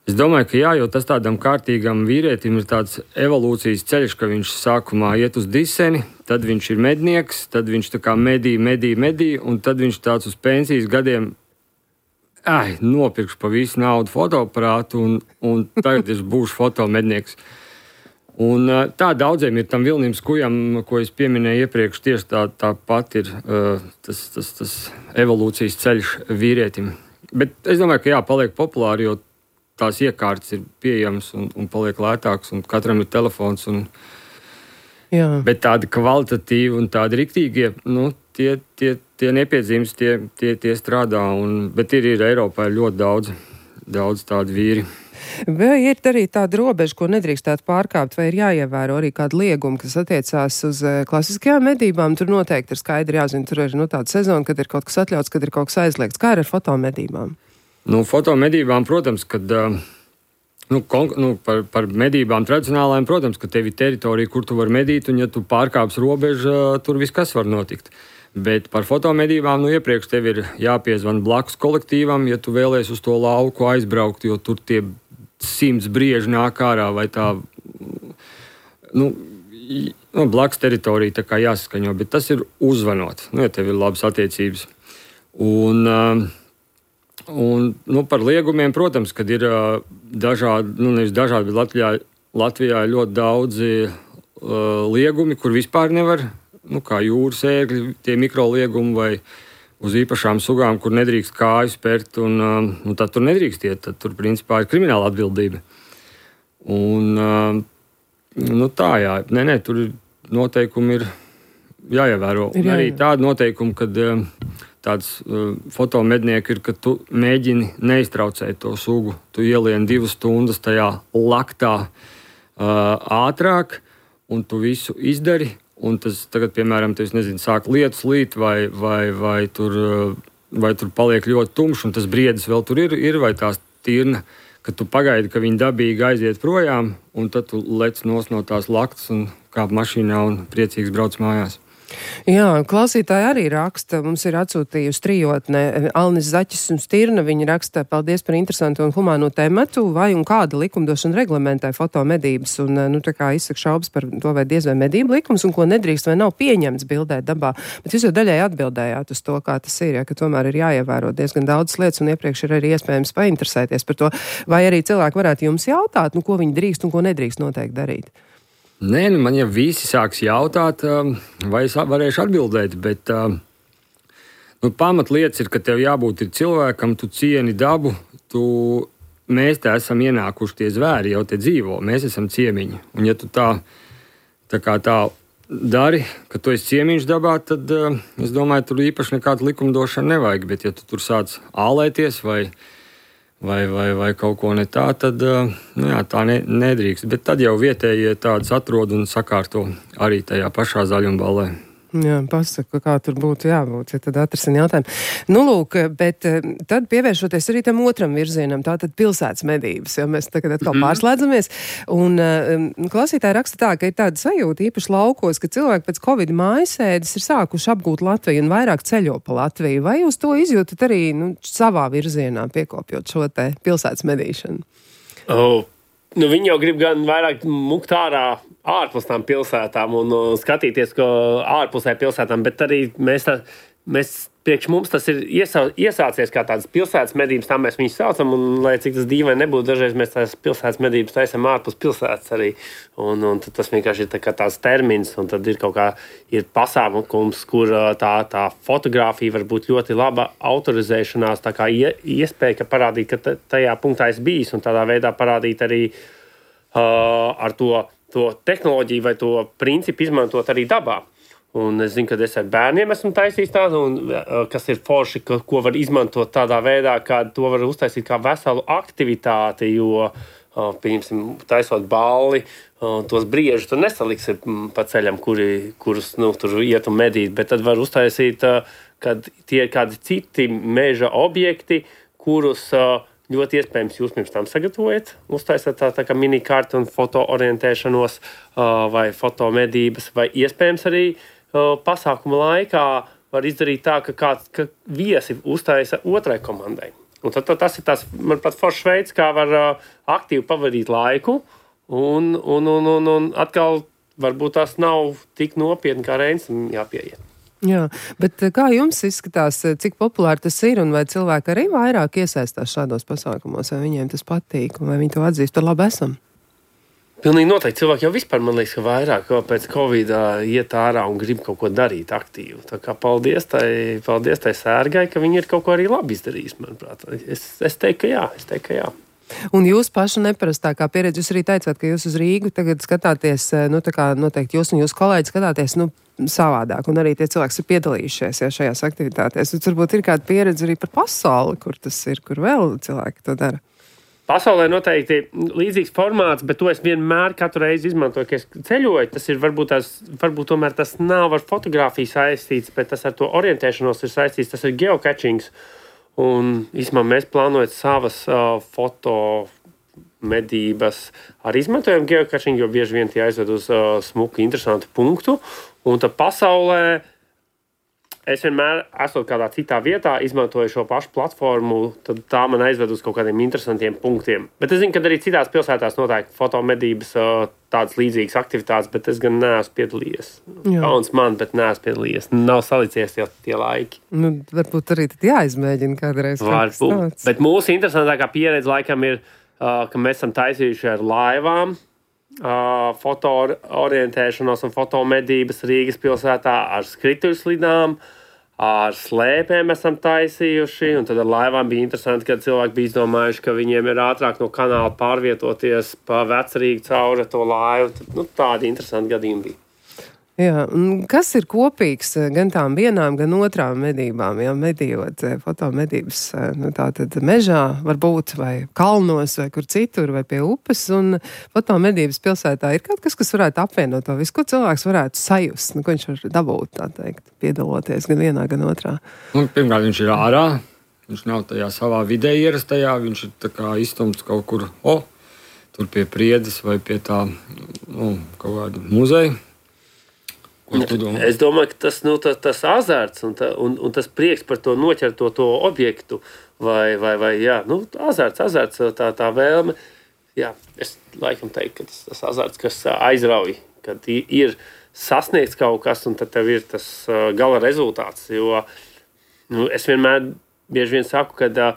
Es domāju, ka jā, jo tas tādam kārtīgam vīrietim ir tāds evolūcijas ceļš, ka viņš sākumā iet uz diseni, tad viņš ir mednieks, tad viņš tā kā medī, medī, medī, un tad viņš tāds uz pensijas gadiem ai, nopirkšu pa visu naudu fotoaparātu un, un tagad es būšu fotomednieks. Un tā daudziem ir tam Vilnim Skujam, ko es pieminēju iepriekš, tieši tā, tā pat ir uh, tas, tas, tas evolūcijas ceļš vīrietim. Bet es domāju, ka jā, paliek populāri, jo tās iekārtas ir pieejamas un, un paliek lētāks, un katram ir telefons. Un, jā. Bet tādi kvalitatīvi un tādi riktīgie, nu, tie, tie, tie nepiedzīmes, tie, tie, tie strādā. Un, bet ir, ir Eiropā ļoti daudz, daudz tādu vīri. Vai ir arī tāda robeža, ko nedrīkstētu pārkāpt, vai ir jāievēro arī kāda lieguma, kas attiecās uz klasiskajām medībām? Tur noteikti ir skaidri jāzina, tur ir nu, tāda sezona, kad ir kaut kas atļauts, kad ir kaut kas aizliegts. Kā ir ar fotomedībām? Nu, fotomedībām, protams, kad nu, kon, nu, par, par medībām tradicionālajām, protams, ka tev ir teritorija, kur tu vari medīt, un ja tu pārkāps robežu, tur viss kas var notikt. Bet par fotomedībām, nu, iepriekš tev ir jāpiezvan blakus kolektīvam, ja tu vēlies uz to lauku aizbraukt, jo tur tie simts brieži nāk ārā, vai tā, nu, nu blakus teritorija tā kā jāsaskaņo, bet tas ir uzvanot, nu, ja tev ir labas attiecības. Un, un nu, par liegumiem, protams, kad ir dažādi, nu, nevis dažādi, bet Latvijā, Latvijā ir ļoti daudzi uh, liegumi, kur vispār nevar, nu, kā jūras ērgļi, tie mikroliegumi vai uz īpašām sugām, kur nedrīkst kāju spērt, un nu, tad tur nedrīkst iet, tad tur principā ir krimināla atbildība. Un, nu tā, jā, nē, nē, tur noteikumi ir jāievēro. Ir arī tādi noteikumi, kad tāds fotomednieki ir, ka tu mēģini neiztraucēt to sugu. Tu ielien divas stundas tajā laktā ātrāk, un tu visu izdari. Un tas tagad, piemēram, tev, nezinu, sāk lietus līt, vai, vai, vai, tur, vai tur paliek ļoti tumšs, un tas briedis vēl tur ir, ir vai tās tirna, ka tu pagaidi, ka viņi dabīgi aiziet projām, un tad tu lec nos no tās laktas un kāp mašīnā un priecīgs brauc mājās. Jā, klausītāji arī raksta, mums ir atsūtījusi trijotne Alnis Zaķis un Stirna, viņi raksta, paldies par interesantu un humāno tematu, vai un kāda likumdošana reglamentē fotomedības, un, nu, tā kā izsaka šaubas par to, vai diez vai medību likums, un ko nedrīkst vai nav pieņemts bildēt dabā, bet jūs jau daļai atbildējāt uz to, kā tas ir, ja, ka tomēr ir jāievēro diezgan daudz lietas, un iepriekš ir arī iespējams painteresēties par to, vai arī cilvēki varētu jums jautāt, nu, ko viņi drīkst un ko nedrīkst noteikti darīt. Nē, nu man jau visi sāks jautāt, vai es varēšu atbildēt, bet nu, pamatlietas ir, ka tev jābūt ir cilvēkam, tu cieni dabu, tu tu, mēs te esam ienākuši tie zvēri, jau te dzīvo, mēs esam ciemiņi. Un ja tu tā, tā kā tā dari, ka tu esi ciemiņš dabā, tad uh, es domāju, tur īpaši nekāda likumdošana nevajag, bet ja tu tur sāc ālēties vai Vai, vai, vai kaut ko ne tā, tad nu jā, tā ne, nedrīkst. Bet tad jau vietējie tādas atrod un sakārto arī tajā pašā zaļumballē. Jā, pasaka, kā tur būtu jābūt, ja tad atrasina jautājumu. Nu, lūk, bet tad pievēršoties arī tam otram virzienam, tātad pilsētas medības, jo mēs tagad atkal mm. pārslēdzamies. Un um, klausītāji raksta tā, ka ir tāda sajūta īpaši laukos, ka cilvēki pēc Covid mājasēdes ir sākuši apgūt Latviju un vairāk ceļo pa Latviju. Vai jūs to izjūtat arī nu, savā virzienā, piekopjot šo te pilsētas medīšanu? Oh. Nu, viņi jau grib gan vairāk mukt ārā ārpus tām pilsētām un uh, skatīties, ko ārpusē pilsētām, bet arī mēs, tā, mēs priekš mums tas ir iesā, iesācies kā tādas pilsētas medības, tā mēs viņus saucam, un lai cik tas dīvaini nebūtu, dažreiz mēs tās pilsētas medības taisam ārpus pilsētas arī, un, un tas vienkārši ir tā kā tās termins, un tad ir kaut kā, ir pasākums, kur tā, tā fotografija var būt ļoti laba autorizēšanās, tā kā ie, iespēja, ka parādīt, ka tajā punktā es bijis, un tādā veidā parādīt arī uh, ar to, to tehnoloģiju vai to principu izmantot arī dabā. Un es zinu, ka es ar bērniem esmu taisījis tādu, un, kas ir forši, ko, ko var izmantot tādā veidā, ka to var uztaisīt kā veselu aktivitāti, jo, pieņemsim, taisot balli, tos briežus tur nesaliksi pa ceļam, kuri, kurus nu, tur iet un medīt, bet tad var uztaisīt, kad tie ir kādi citi meža objekti, kurus ļoti iespējams jūs pirms tam sagatavojat, uztaisat tā, tā kā mini-karti un fotoorientēšanos vai fotomedības, vai iespējams arī pasākuma laikā var izdarīt tā, ka kāds ka viesi uztaisa otrai komandai. Un tad, tad tas ir tas, manuprāt, foršs veids, kā var uh, aktīvi pavadīt laiku, un, un, un, un, un atkal varbūt tas nav tik nopietni, kā Reinsam jāpieiet. Jā, bet kā jums izskatās, cik populāri tas ir, un vai cilvēki arī vairāk iesaistās šādos pasākumos, vai viņiem tas patīk, un vai viņi to atzīst, tur labi esam? Pilnīgi noteikti. Cilvēki jau vispār, man liekas, ka vairāk pēc Covid iet ārā un grib kaut ko darīt aktīvi. Tā kā paldies tai, paldies tai sērgai, ka viņi ir kaut ko arī labi izdarījis, manuprāt. Es, es teiktu, ka jā, es teiktu, ka jā. Un jūs pašu neparastākā pieredze, jūs arī teicāt, ka jūs uz Rīgu tagad skatāties, nu tā kā noteikti jūs un jūs kolēģi skatāties, nu, savādāk, un arī tie cilvēki ir piedalījušies ja, šajās aktivitātēs. Un varbūt ir kāda pieredze arī par pasauli, kur tas ir, kur vēl cilvēki to dara. Pasaulē noteikti līdzīgs formāts, bet to es vienmēr katru reizi izmantoju, ka es ceļoju. Tas ir varbūt, tās, varbūt tomēr tas nav ar fotografiju saistīts, bet tas ar to orientēšanos ir saistīts. Tas ir geocachings. Un īstenībā mēs plānojam savas uh, foto medības arī izmantojam geocaching, jo bieži vien tie aizved uz uh, smuku, interesantu punktu. Un tad pasaulē es vienmēr, esot kādā citā vietā, izmantoju šo pašu platformu, tad tā man aizved uz kaut kādiem interesantiem punktiem. Bet es zinu, ka arī citās pilsētās notiek fotomedības, tādas līdzīgas aktivitātes, bet es gan neesmu piedalījies. Kauns man, bet neesmu piedalījies. Nav salicies jau tie laiki. Nu, varbūt arī tad jāizmēģina kādreiz. Varbūt. Bet mūsu interesantākā pieredze laikam ir, ka mēs esam taisījuši ar laivām, foto orientēšanos un fotomedības Rīgas pilsētā ar skrituļslidām, ar slēpēm esam taisījuši, un tad ar laivām bija interesanti, ka cilvēki bija izdomājuši, ka viņiem ir ātrāk no kanāla pārvietoties pa Vecrīgu cauri to laivu. Tad, nu, tādi interesanti gadījumi bija. Jā, un kas ir kopīgs gan tām vienām, gan otrām medībām, ja medījot fotomedības, nu tā tad mežā varbūt, vai kalnos, vai kur citur, vai pie upes, un fotomedības pilsētā ir kaut kas, kas varētu apvienot to visu, ko cilvēks varētu sajust, nu, ko viņš var dabūt, tā teikt, piedaloties gan vienā, gan otrā. Nu, pirmkārt, viņš ir ārā, viņš nav tajā savā vidē ierastajā, viņš ir tā kā izstumts kaut kur, o, tur pie Priedes vai pie tā, nu, kaut kāda muzeja. Es domāju, ka tas, nu, tas, tas azarts un, ta, un, un tas prieks par to noķerto to objektu vai, vai, vai jā, nu, azarts, azarts, tā, tā vēlme. Jā, es laikam teiktu, ka tas, tas azarts, kas aizrauj, kad ir sasniegts kaut kas un tad tev ir tas gala rezultāts. Jo nu, es vienmēr bieži vien saku, ka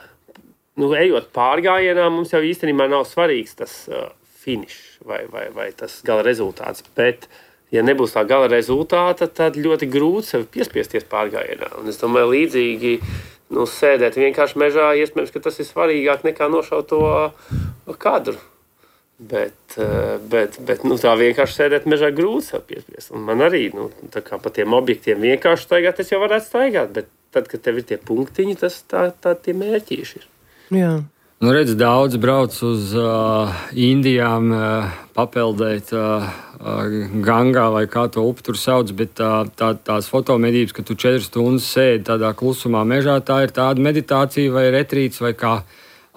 nu, ejot pārgājienā, mums jau īstenībā nav svarīgs tas uh, finišs vai, vai, vai tas gala rezultāts, bet ja nebūs tā gala rezultāta, tad ļoti grūti sevi piespiesties pārgājienā. Un es domāju, līdzīgi nu, sēdēt vienkārši mežā, iespējams, ka tas ir svarīgāk nekā nošaut to kadru. Bet, bet, bet nu, tā vienkārši sēdēt mežā grūti sev piespiest. Un man arī, nu, tā kā pa tiem objektiem vienkārši staigāt, es jau varētu staigāt, bet tad, kad tev ir tie punktiņi, tas tā, tā tie mērķīši ir. Jā. Nu, redz, daudz brauc uz uh, Indijām uh, papeldēt uh, uh, Gangā vai kā to upi tur sauc, bet uh, tā, tās fotomedības, ka tu četras stundas sēdi tādā klusumā mežā, tā ir tāda meditācija vai retrīts vai kā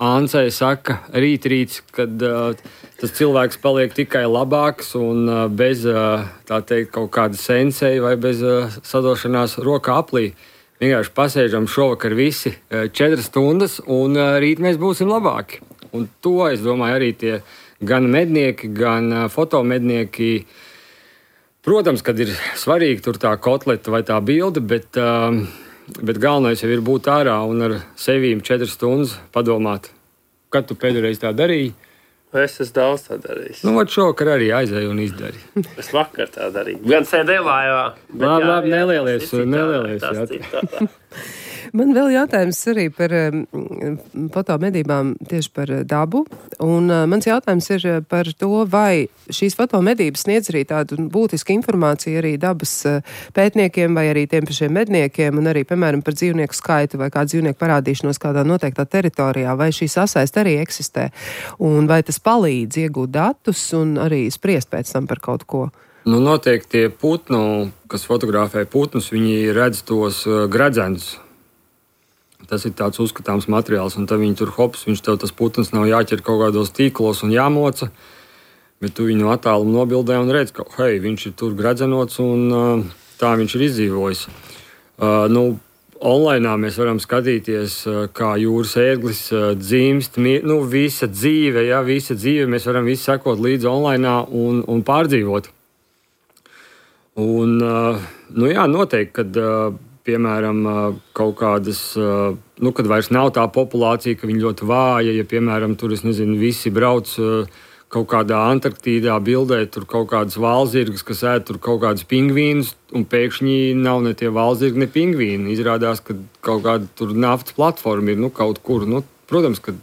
Āncei saka, rītrīts, kad uh, tas cilvēks paliek tikai labāks un uh, bez, uh, tā teikt, kaut kāda sensei vai bez uh, sadošanās rokā aplī. Vienkārši pasēžam šovakar visi uh, četras stundas un uh, rīt mēs būsim labāki. Un to, es domāju, arī tie gan mednieki, gan uh, fotomednieki, protams, kad ir svarīgi tur tā kotleta vai tā bilde, bet... Uh, Bet galvenais jau ir būt ārā un ar sevīm četras stundas padomāt, kad tu pēdējais tā darīji. Es esmu daudz tā darījis. Nu, šovakar arī aizēju un izdarīju. Es vakar tā darīju. Gan sēdēju lājā. Labi, labi, nelielies, nelielies. Man vēl jautājums arī par um, fotomedībām tieši par dabu. Un uh, mans jautājums ir par to, vai šīs fotomedības sniedz arī tādu būtisku informāciju arī dabas uh, pētniekiem vai arī tiem pašiem medniekiem un arī, piemēram, par dzīvnieku skaitu vai kādu dzīvnieku parādīšanos kādā noteiktā teritorijā, vai šī sasaiste arī eksistē. Un vai tas palīdz iegūt datus un arī spriest pēc tam par kaut ko? Nu, noteikti tie putnu, kas fotografē putnus, viņi redz tos uh, gradzenus. Tas ir tāds uzskatāms materiāls, un tad viņi tur hops, viņš tev tas putns nav jāķer kaut kādos tīklos un jāmoca, bet tu viņu attālumu nobildē un redz, ka, hei, viņš ir tur gradzenots un uh, tā viņš ir izdzīvojis. Uh, nu, online mēs varam skatīties, uh, kā jūras ērglis uh, dzimst, nu, visa dzīve, ja, visa dzīve, mēs varam visu sekot līdzi online un, un pārdzīvot. Un, uh, nu jā, noteikti, kad... Uh, Piemēram, kaut kādas, nu, kad vairs nav tā populācija, ka viņi ļoti vāja, ja, piemēram, tur, es nezinu, visi brauc kaut kādā Antarktīdā bildē, tur kaut kādas valzirgas, kas ēd tur kaut kādas pingvīnus, un pēkšņi nav ne tie valzirgi, ne pingvīni. Izrādās, ka kaut kāda tur naftas platforma ir, nu, kaut kur. Nu, protams, ka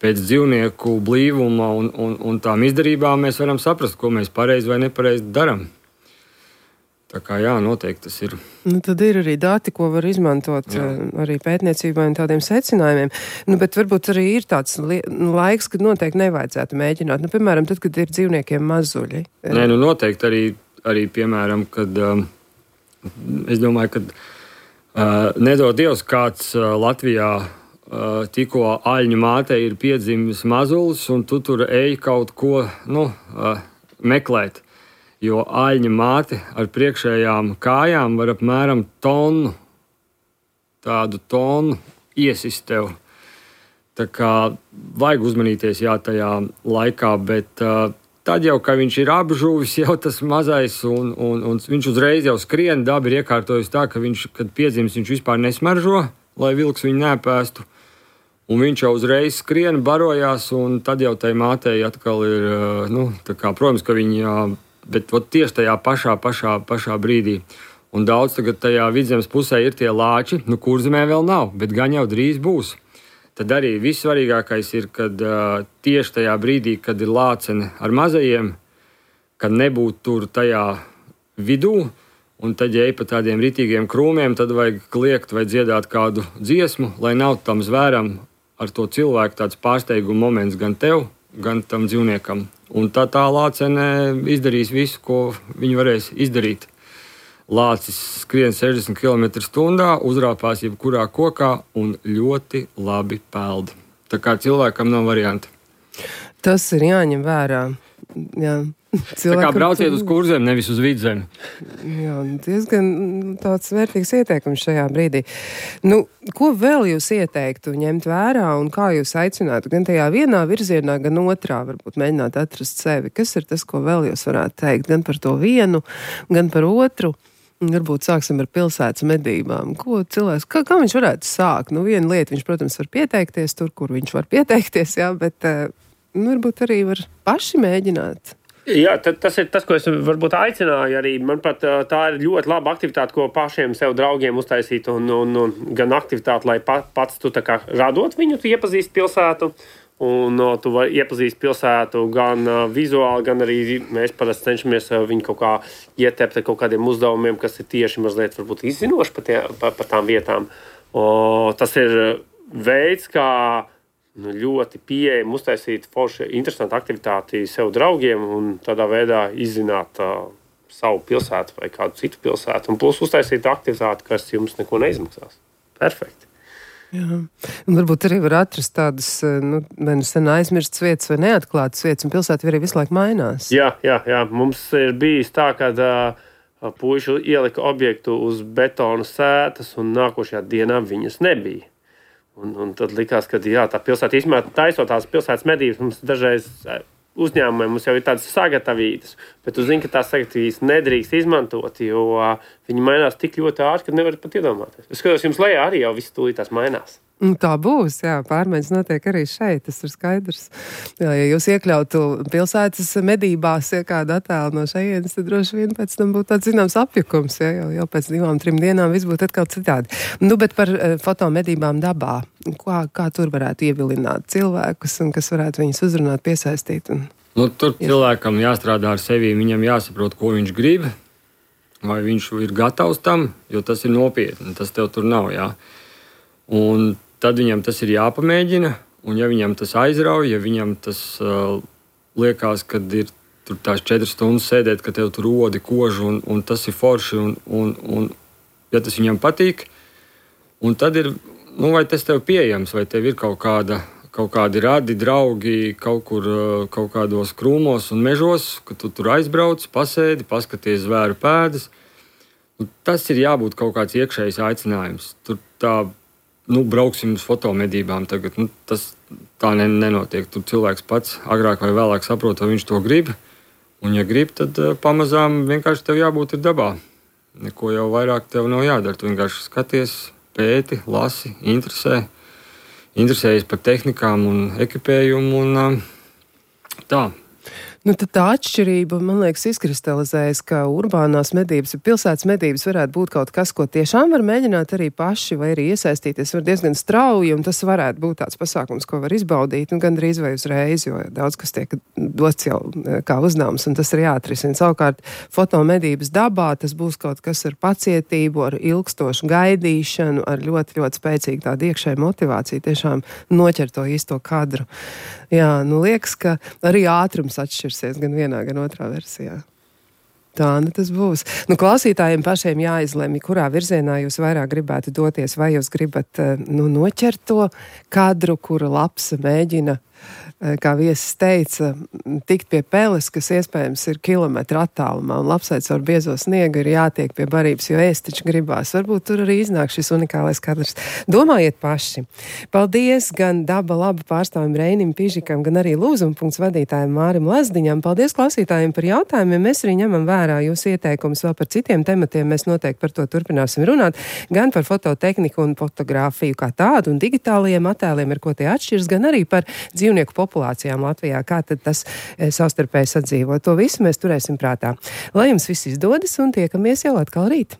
pēc dzīvnieku blīvuma un, un, un tām izdarībām mēs varam saprast, ko mēs pareizi vai nepareizi darām. Tā kā jā, noteikti tas ir. Nu, tad ir arī dati, ko var izmantot jā. Arī pētniecībai un tādiem secinājumiem. Nu, bet varbūt arī ir tāds li- laiks, kad noteikti nevajadzētu mēģināt. Nu, piemēram, tad, kad ir dzīvniekiem mazuļi. Nē, nu noteikti arī, arī piemēram, kad um, es domāju, ka uh, nedod Dievs kāds uh, Latvijā uh, tikko aļņu mātei ir piedzimis mazulis, un tu tur ej kaut ko, nu, uh, meklēt. Jo aļņa māte ar priekšējām kājām var apmēram tonu, tādu tonu iesist tev. Tā kā vajag uzmanīties jā, tajā laikā, bet uh, tad jau, kad viņš ir apžuvis, jau tas mazais, un, un, un viņš uzreiz jau skrien, daba ir iekārtojusi tā, ka viņš, kad piedzimis, viņš vispār nesmaržo, lai vilks viņu nepēstu. Un viņš jau uzreiz skrien, barojās, un tad jau tai mātei atkal ir, uh, nu, tā kā, protams, ka viņa... Bet ot, tieši tajā pašā, pašā, pašā brīdī. Un daudz tagad tajā vidzemes pusē ir tie lāči, nu Kurzemē vēl nav, bet gan jau drīz būs. Tad arī vissvarīgākais ir, kad uh, tieši tajā brīdī, kad ir lācene ar mazajiem, kad nebūtu tur tajā vidū, un tad, ja ej pa tādiem ritīgiem krūmiem, tad vajag kliegt vai dziedāt kādu dziesmu, lai nav tam zvēram ar to cilvēku tāds pārsteiguma moments gan tev, gan tam dzīvniekam. Un tā tā lācene izdarīs visu, ko viņi varēs izdarīt. Lācis skrien sešdesmit kilometru stundā, uzrāpās jebkurā kokā un ļoti labi peld. Tā kā cilvēkam nav varianti. Tas ir jāņem vērā. Jā. Cilvēkam... Tā kā brauciet uz Kurzem, nevis uz Vidzemi. Jā, diezgan tāds vērtīgs ieteikums šajā brīdī. Nu, ko vēl jūs ieteiktu ņemt vērā un kā jūs aicinātu gan tajā vienā virzienā, gan otrā, varbūt mēģināt atrast sevi? Kas ir tas, ko vēl jūs varētu teikt? Gan par to vienu, gan par otru? Varbūt sāksim ar pilsētas medībām. Ko cilvēks, kā, kā viņš varētu sākt? Nu, viena lieta, viņš, protams, var pieteikties tur, kur viņš var pieteikties, jā, bet nu, varbūt arī var paši mēģināt. Jā, tas ir tas, ko es varbūt aicināju arī. Manuprāt, tā ir ļoti laba aktivitāte, ko pašiem sev draugiem uztaisīt, un, un, un gan aktivitāte, lai pats tu tā kā radot viņu, tu iepazīst pilsētu, un tu vari iepazīst pilsētu gan vizuāli, gan arī mēs parasti cenšamies viņu kaut kā ietept ar kaut kādiem uzdevumiem, kas ir tieši mazliet varbūt izzinoši par, tie, par, par tām vietām. O, tas ir veids, kā nu, ļoti pieejami uztaisīt forši interesantu aktivitāti sev draugiem un tādā veidā izzināt uh, savu pilsētu vai kādu citu pilsētu. Un plus uztaisīt aktivitāti, kas jums neko neizmaksās. Perfekti. Jā. Un varbūt arī var atrast tādas, nu, vai nu sen aizmirstas vietas vai neatklātas vietas, un pilsēta arī visu laiku mainās. Jā, jā, jā. Mums ir bijis tā, ka uh, puiši ielika objektu uz betona sētas, un nākošajā dienā viņas nebija. Un, un tad likās, ka jā, tā pilsēta īstenībā taisot tās pilsētas medības, mums dažreiz uzņēmumiem mums jau ir tādas sagatavītas, bet tu zini, ka tās sagatavītas nedrīkst izmantot, jo viņi mainās tik ļoti ātri, ka nevar pat iedomāties. Es skatos, jums lejā arī jau viss tūlīt tās mainās. Tā būs, jā, pārmaiņas notiek arī šeit, tas ir skaidrs. Jā, ja jūs iekļautu pilsētas medībās, ja kādu attēlu no šejienes, tad droši vien pēc tam būtu tāds zināms apjukums, ja, jau, jau pēc divām, trim dienām viss būtu atkal citādi. Nu, bet par uh, fotomedībām dabā, kā, kā tur varētu ievilināt cilvēkus un kas varētu viņus uzrunāt, piesaistīt? Un... Nu, tur cilvēkam jāstrādā ar sevi, viņam jāsaprot, ko viņš grib, vai viņš ir gatavs tam, jo tas ir nopietni, tas tev tur nav, jā. Un tad viņam tas ir jāpamēģina, un ja viņam tas aizrauj, ja viņam tas uh, liekas, ka ir tur tās četras stundas sēdēt, ka tev tur rodi kožu, un, un tas ir forši, un, un, un ja tas viņam patīk, un tad ir, nu, vai tas tev pieejams, vai tev ir kaut kāda, kaut kādi radi, draugi, kaut kur, uh, kaut kādos krūmos un mežos, ka tu tur aizbrauc, pasēdi, paskaties zvēru pēdas. Nu, tas ir jābūt kaut kāds iekšējs aicinājums. Tur tā Nu, brauksim uz fotomedībām tagad. Nu, tas tā ne, nenotiek. Tur cilvēks pats agrāk vai vēlāk saprot, vai viņš to grib. Un, ja grib, tad uh, pamazām vienkārši tev jābūt ir dabā. Neko jau vairāk tev nav jādara. Tu vienkārši skaties, pēti, lasi, interesē. Interesējies par tehnikām un ekipējumu. Un, uh, tā. Nu, tad tā atšķirība, man liekas, izkristalizējas, ka urbānās medības, pilsētas medības varētu būt kaut kas, ko tiešām var mēģināt arī paši vai arī iesaistīties. Var diezgan strauji, un tas varētu būt tāds pasākums, ko var izbaudīt, un gandrīz vai uzreiz, jo daudz kas tiek dots jau kā uzdevums, un tas ir jāatrisina. Savukārt, fotomedības dabā tas būs kaut kas ar pacietību, ar ilgstošu gaidīšanu, ar ļoti, ļoti spēcīgu tādu iekšēju motivāciju, tiešām noķert to īsto kadru. Jā, nu liekas, ka arī ātrums atšķirsies gan vienā, gan otrā versijā. Tā, nu tas būs. Nu, klausītājiem pašiem jāizlemj, kurā virzienā jūs vairāk gribētu doties, vai jūs gribat nu, noķert to kadru, kura lapsa mēģina, kā viesis teica, tikt pie peles, kas iespējams ir kilometru attālumā, un lapsaic ar biezo sniegu ir jātiek pie barības, jo ēst taču gribās. Varbūt tur arī iznāk šis unikālais kadrs. Domājiet paši. Paldies gan Daba laba pārstāvim Reinim Pižikam, gan arī Lūzuma punkts vadītājiem Mārim Lazdiņam. Paldies klausītājiem par jautājumiem. Mēs arī ņemam vērā jūs ieteikumus vēl par citiem tematiem. Mēs noteikti par to turpināsim runāt. Gan par fototehniku un fotogrāfiju kā tādu un digitālajiem attēliem, ar ko tie atšķirs, gan arī par dzīvnieku populācijām Latvijā, kā tad tas e, savstarpēji sadzīvo. To visu mēs turēsim prātā. Lai jums viss izdodas un tiekamies jau atkal rīt.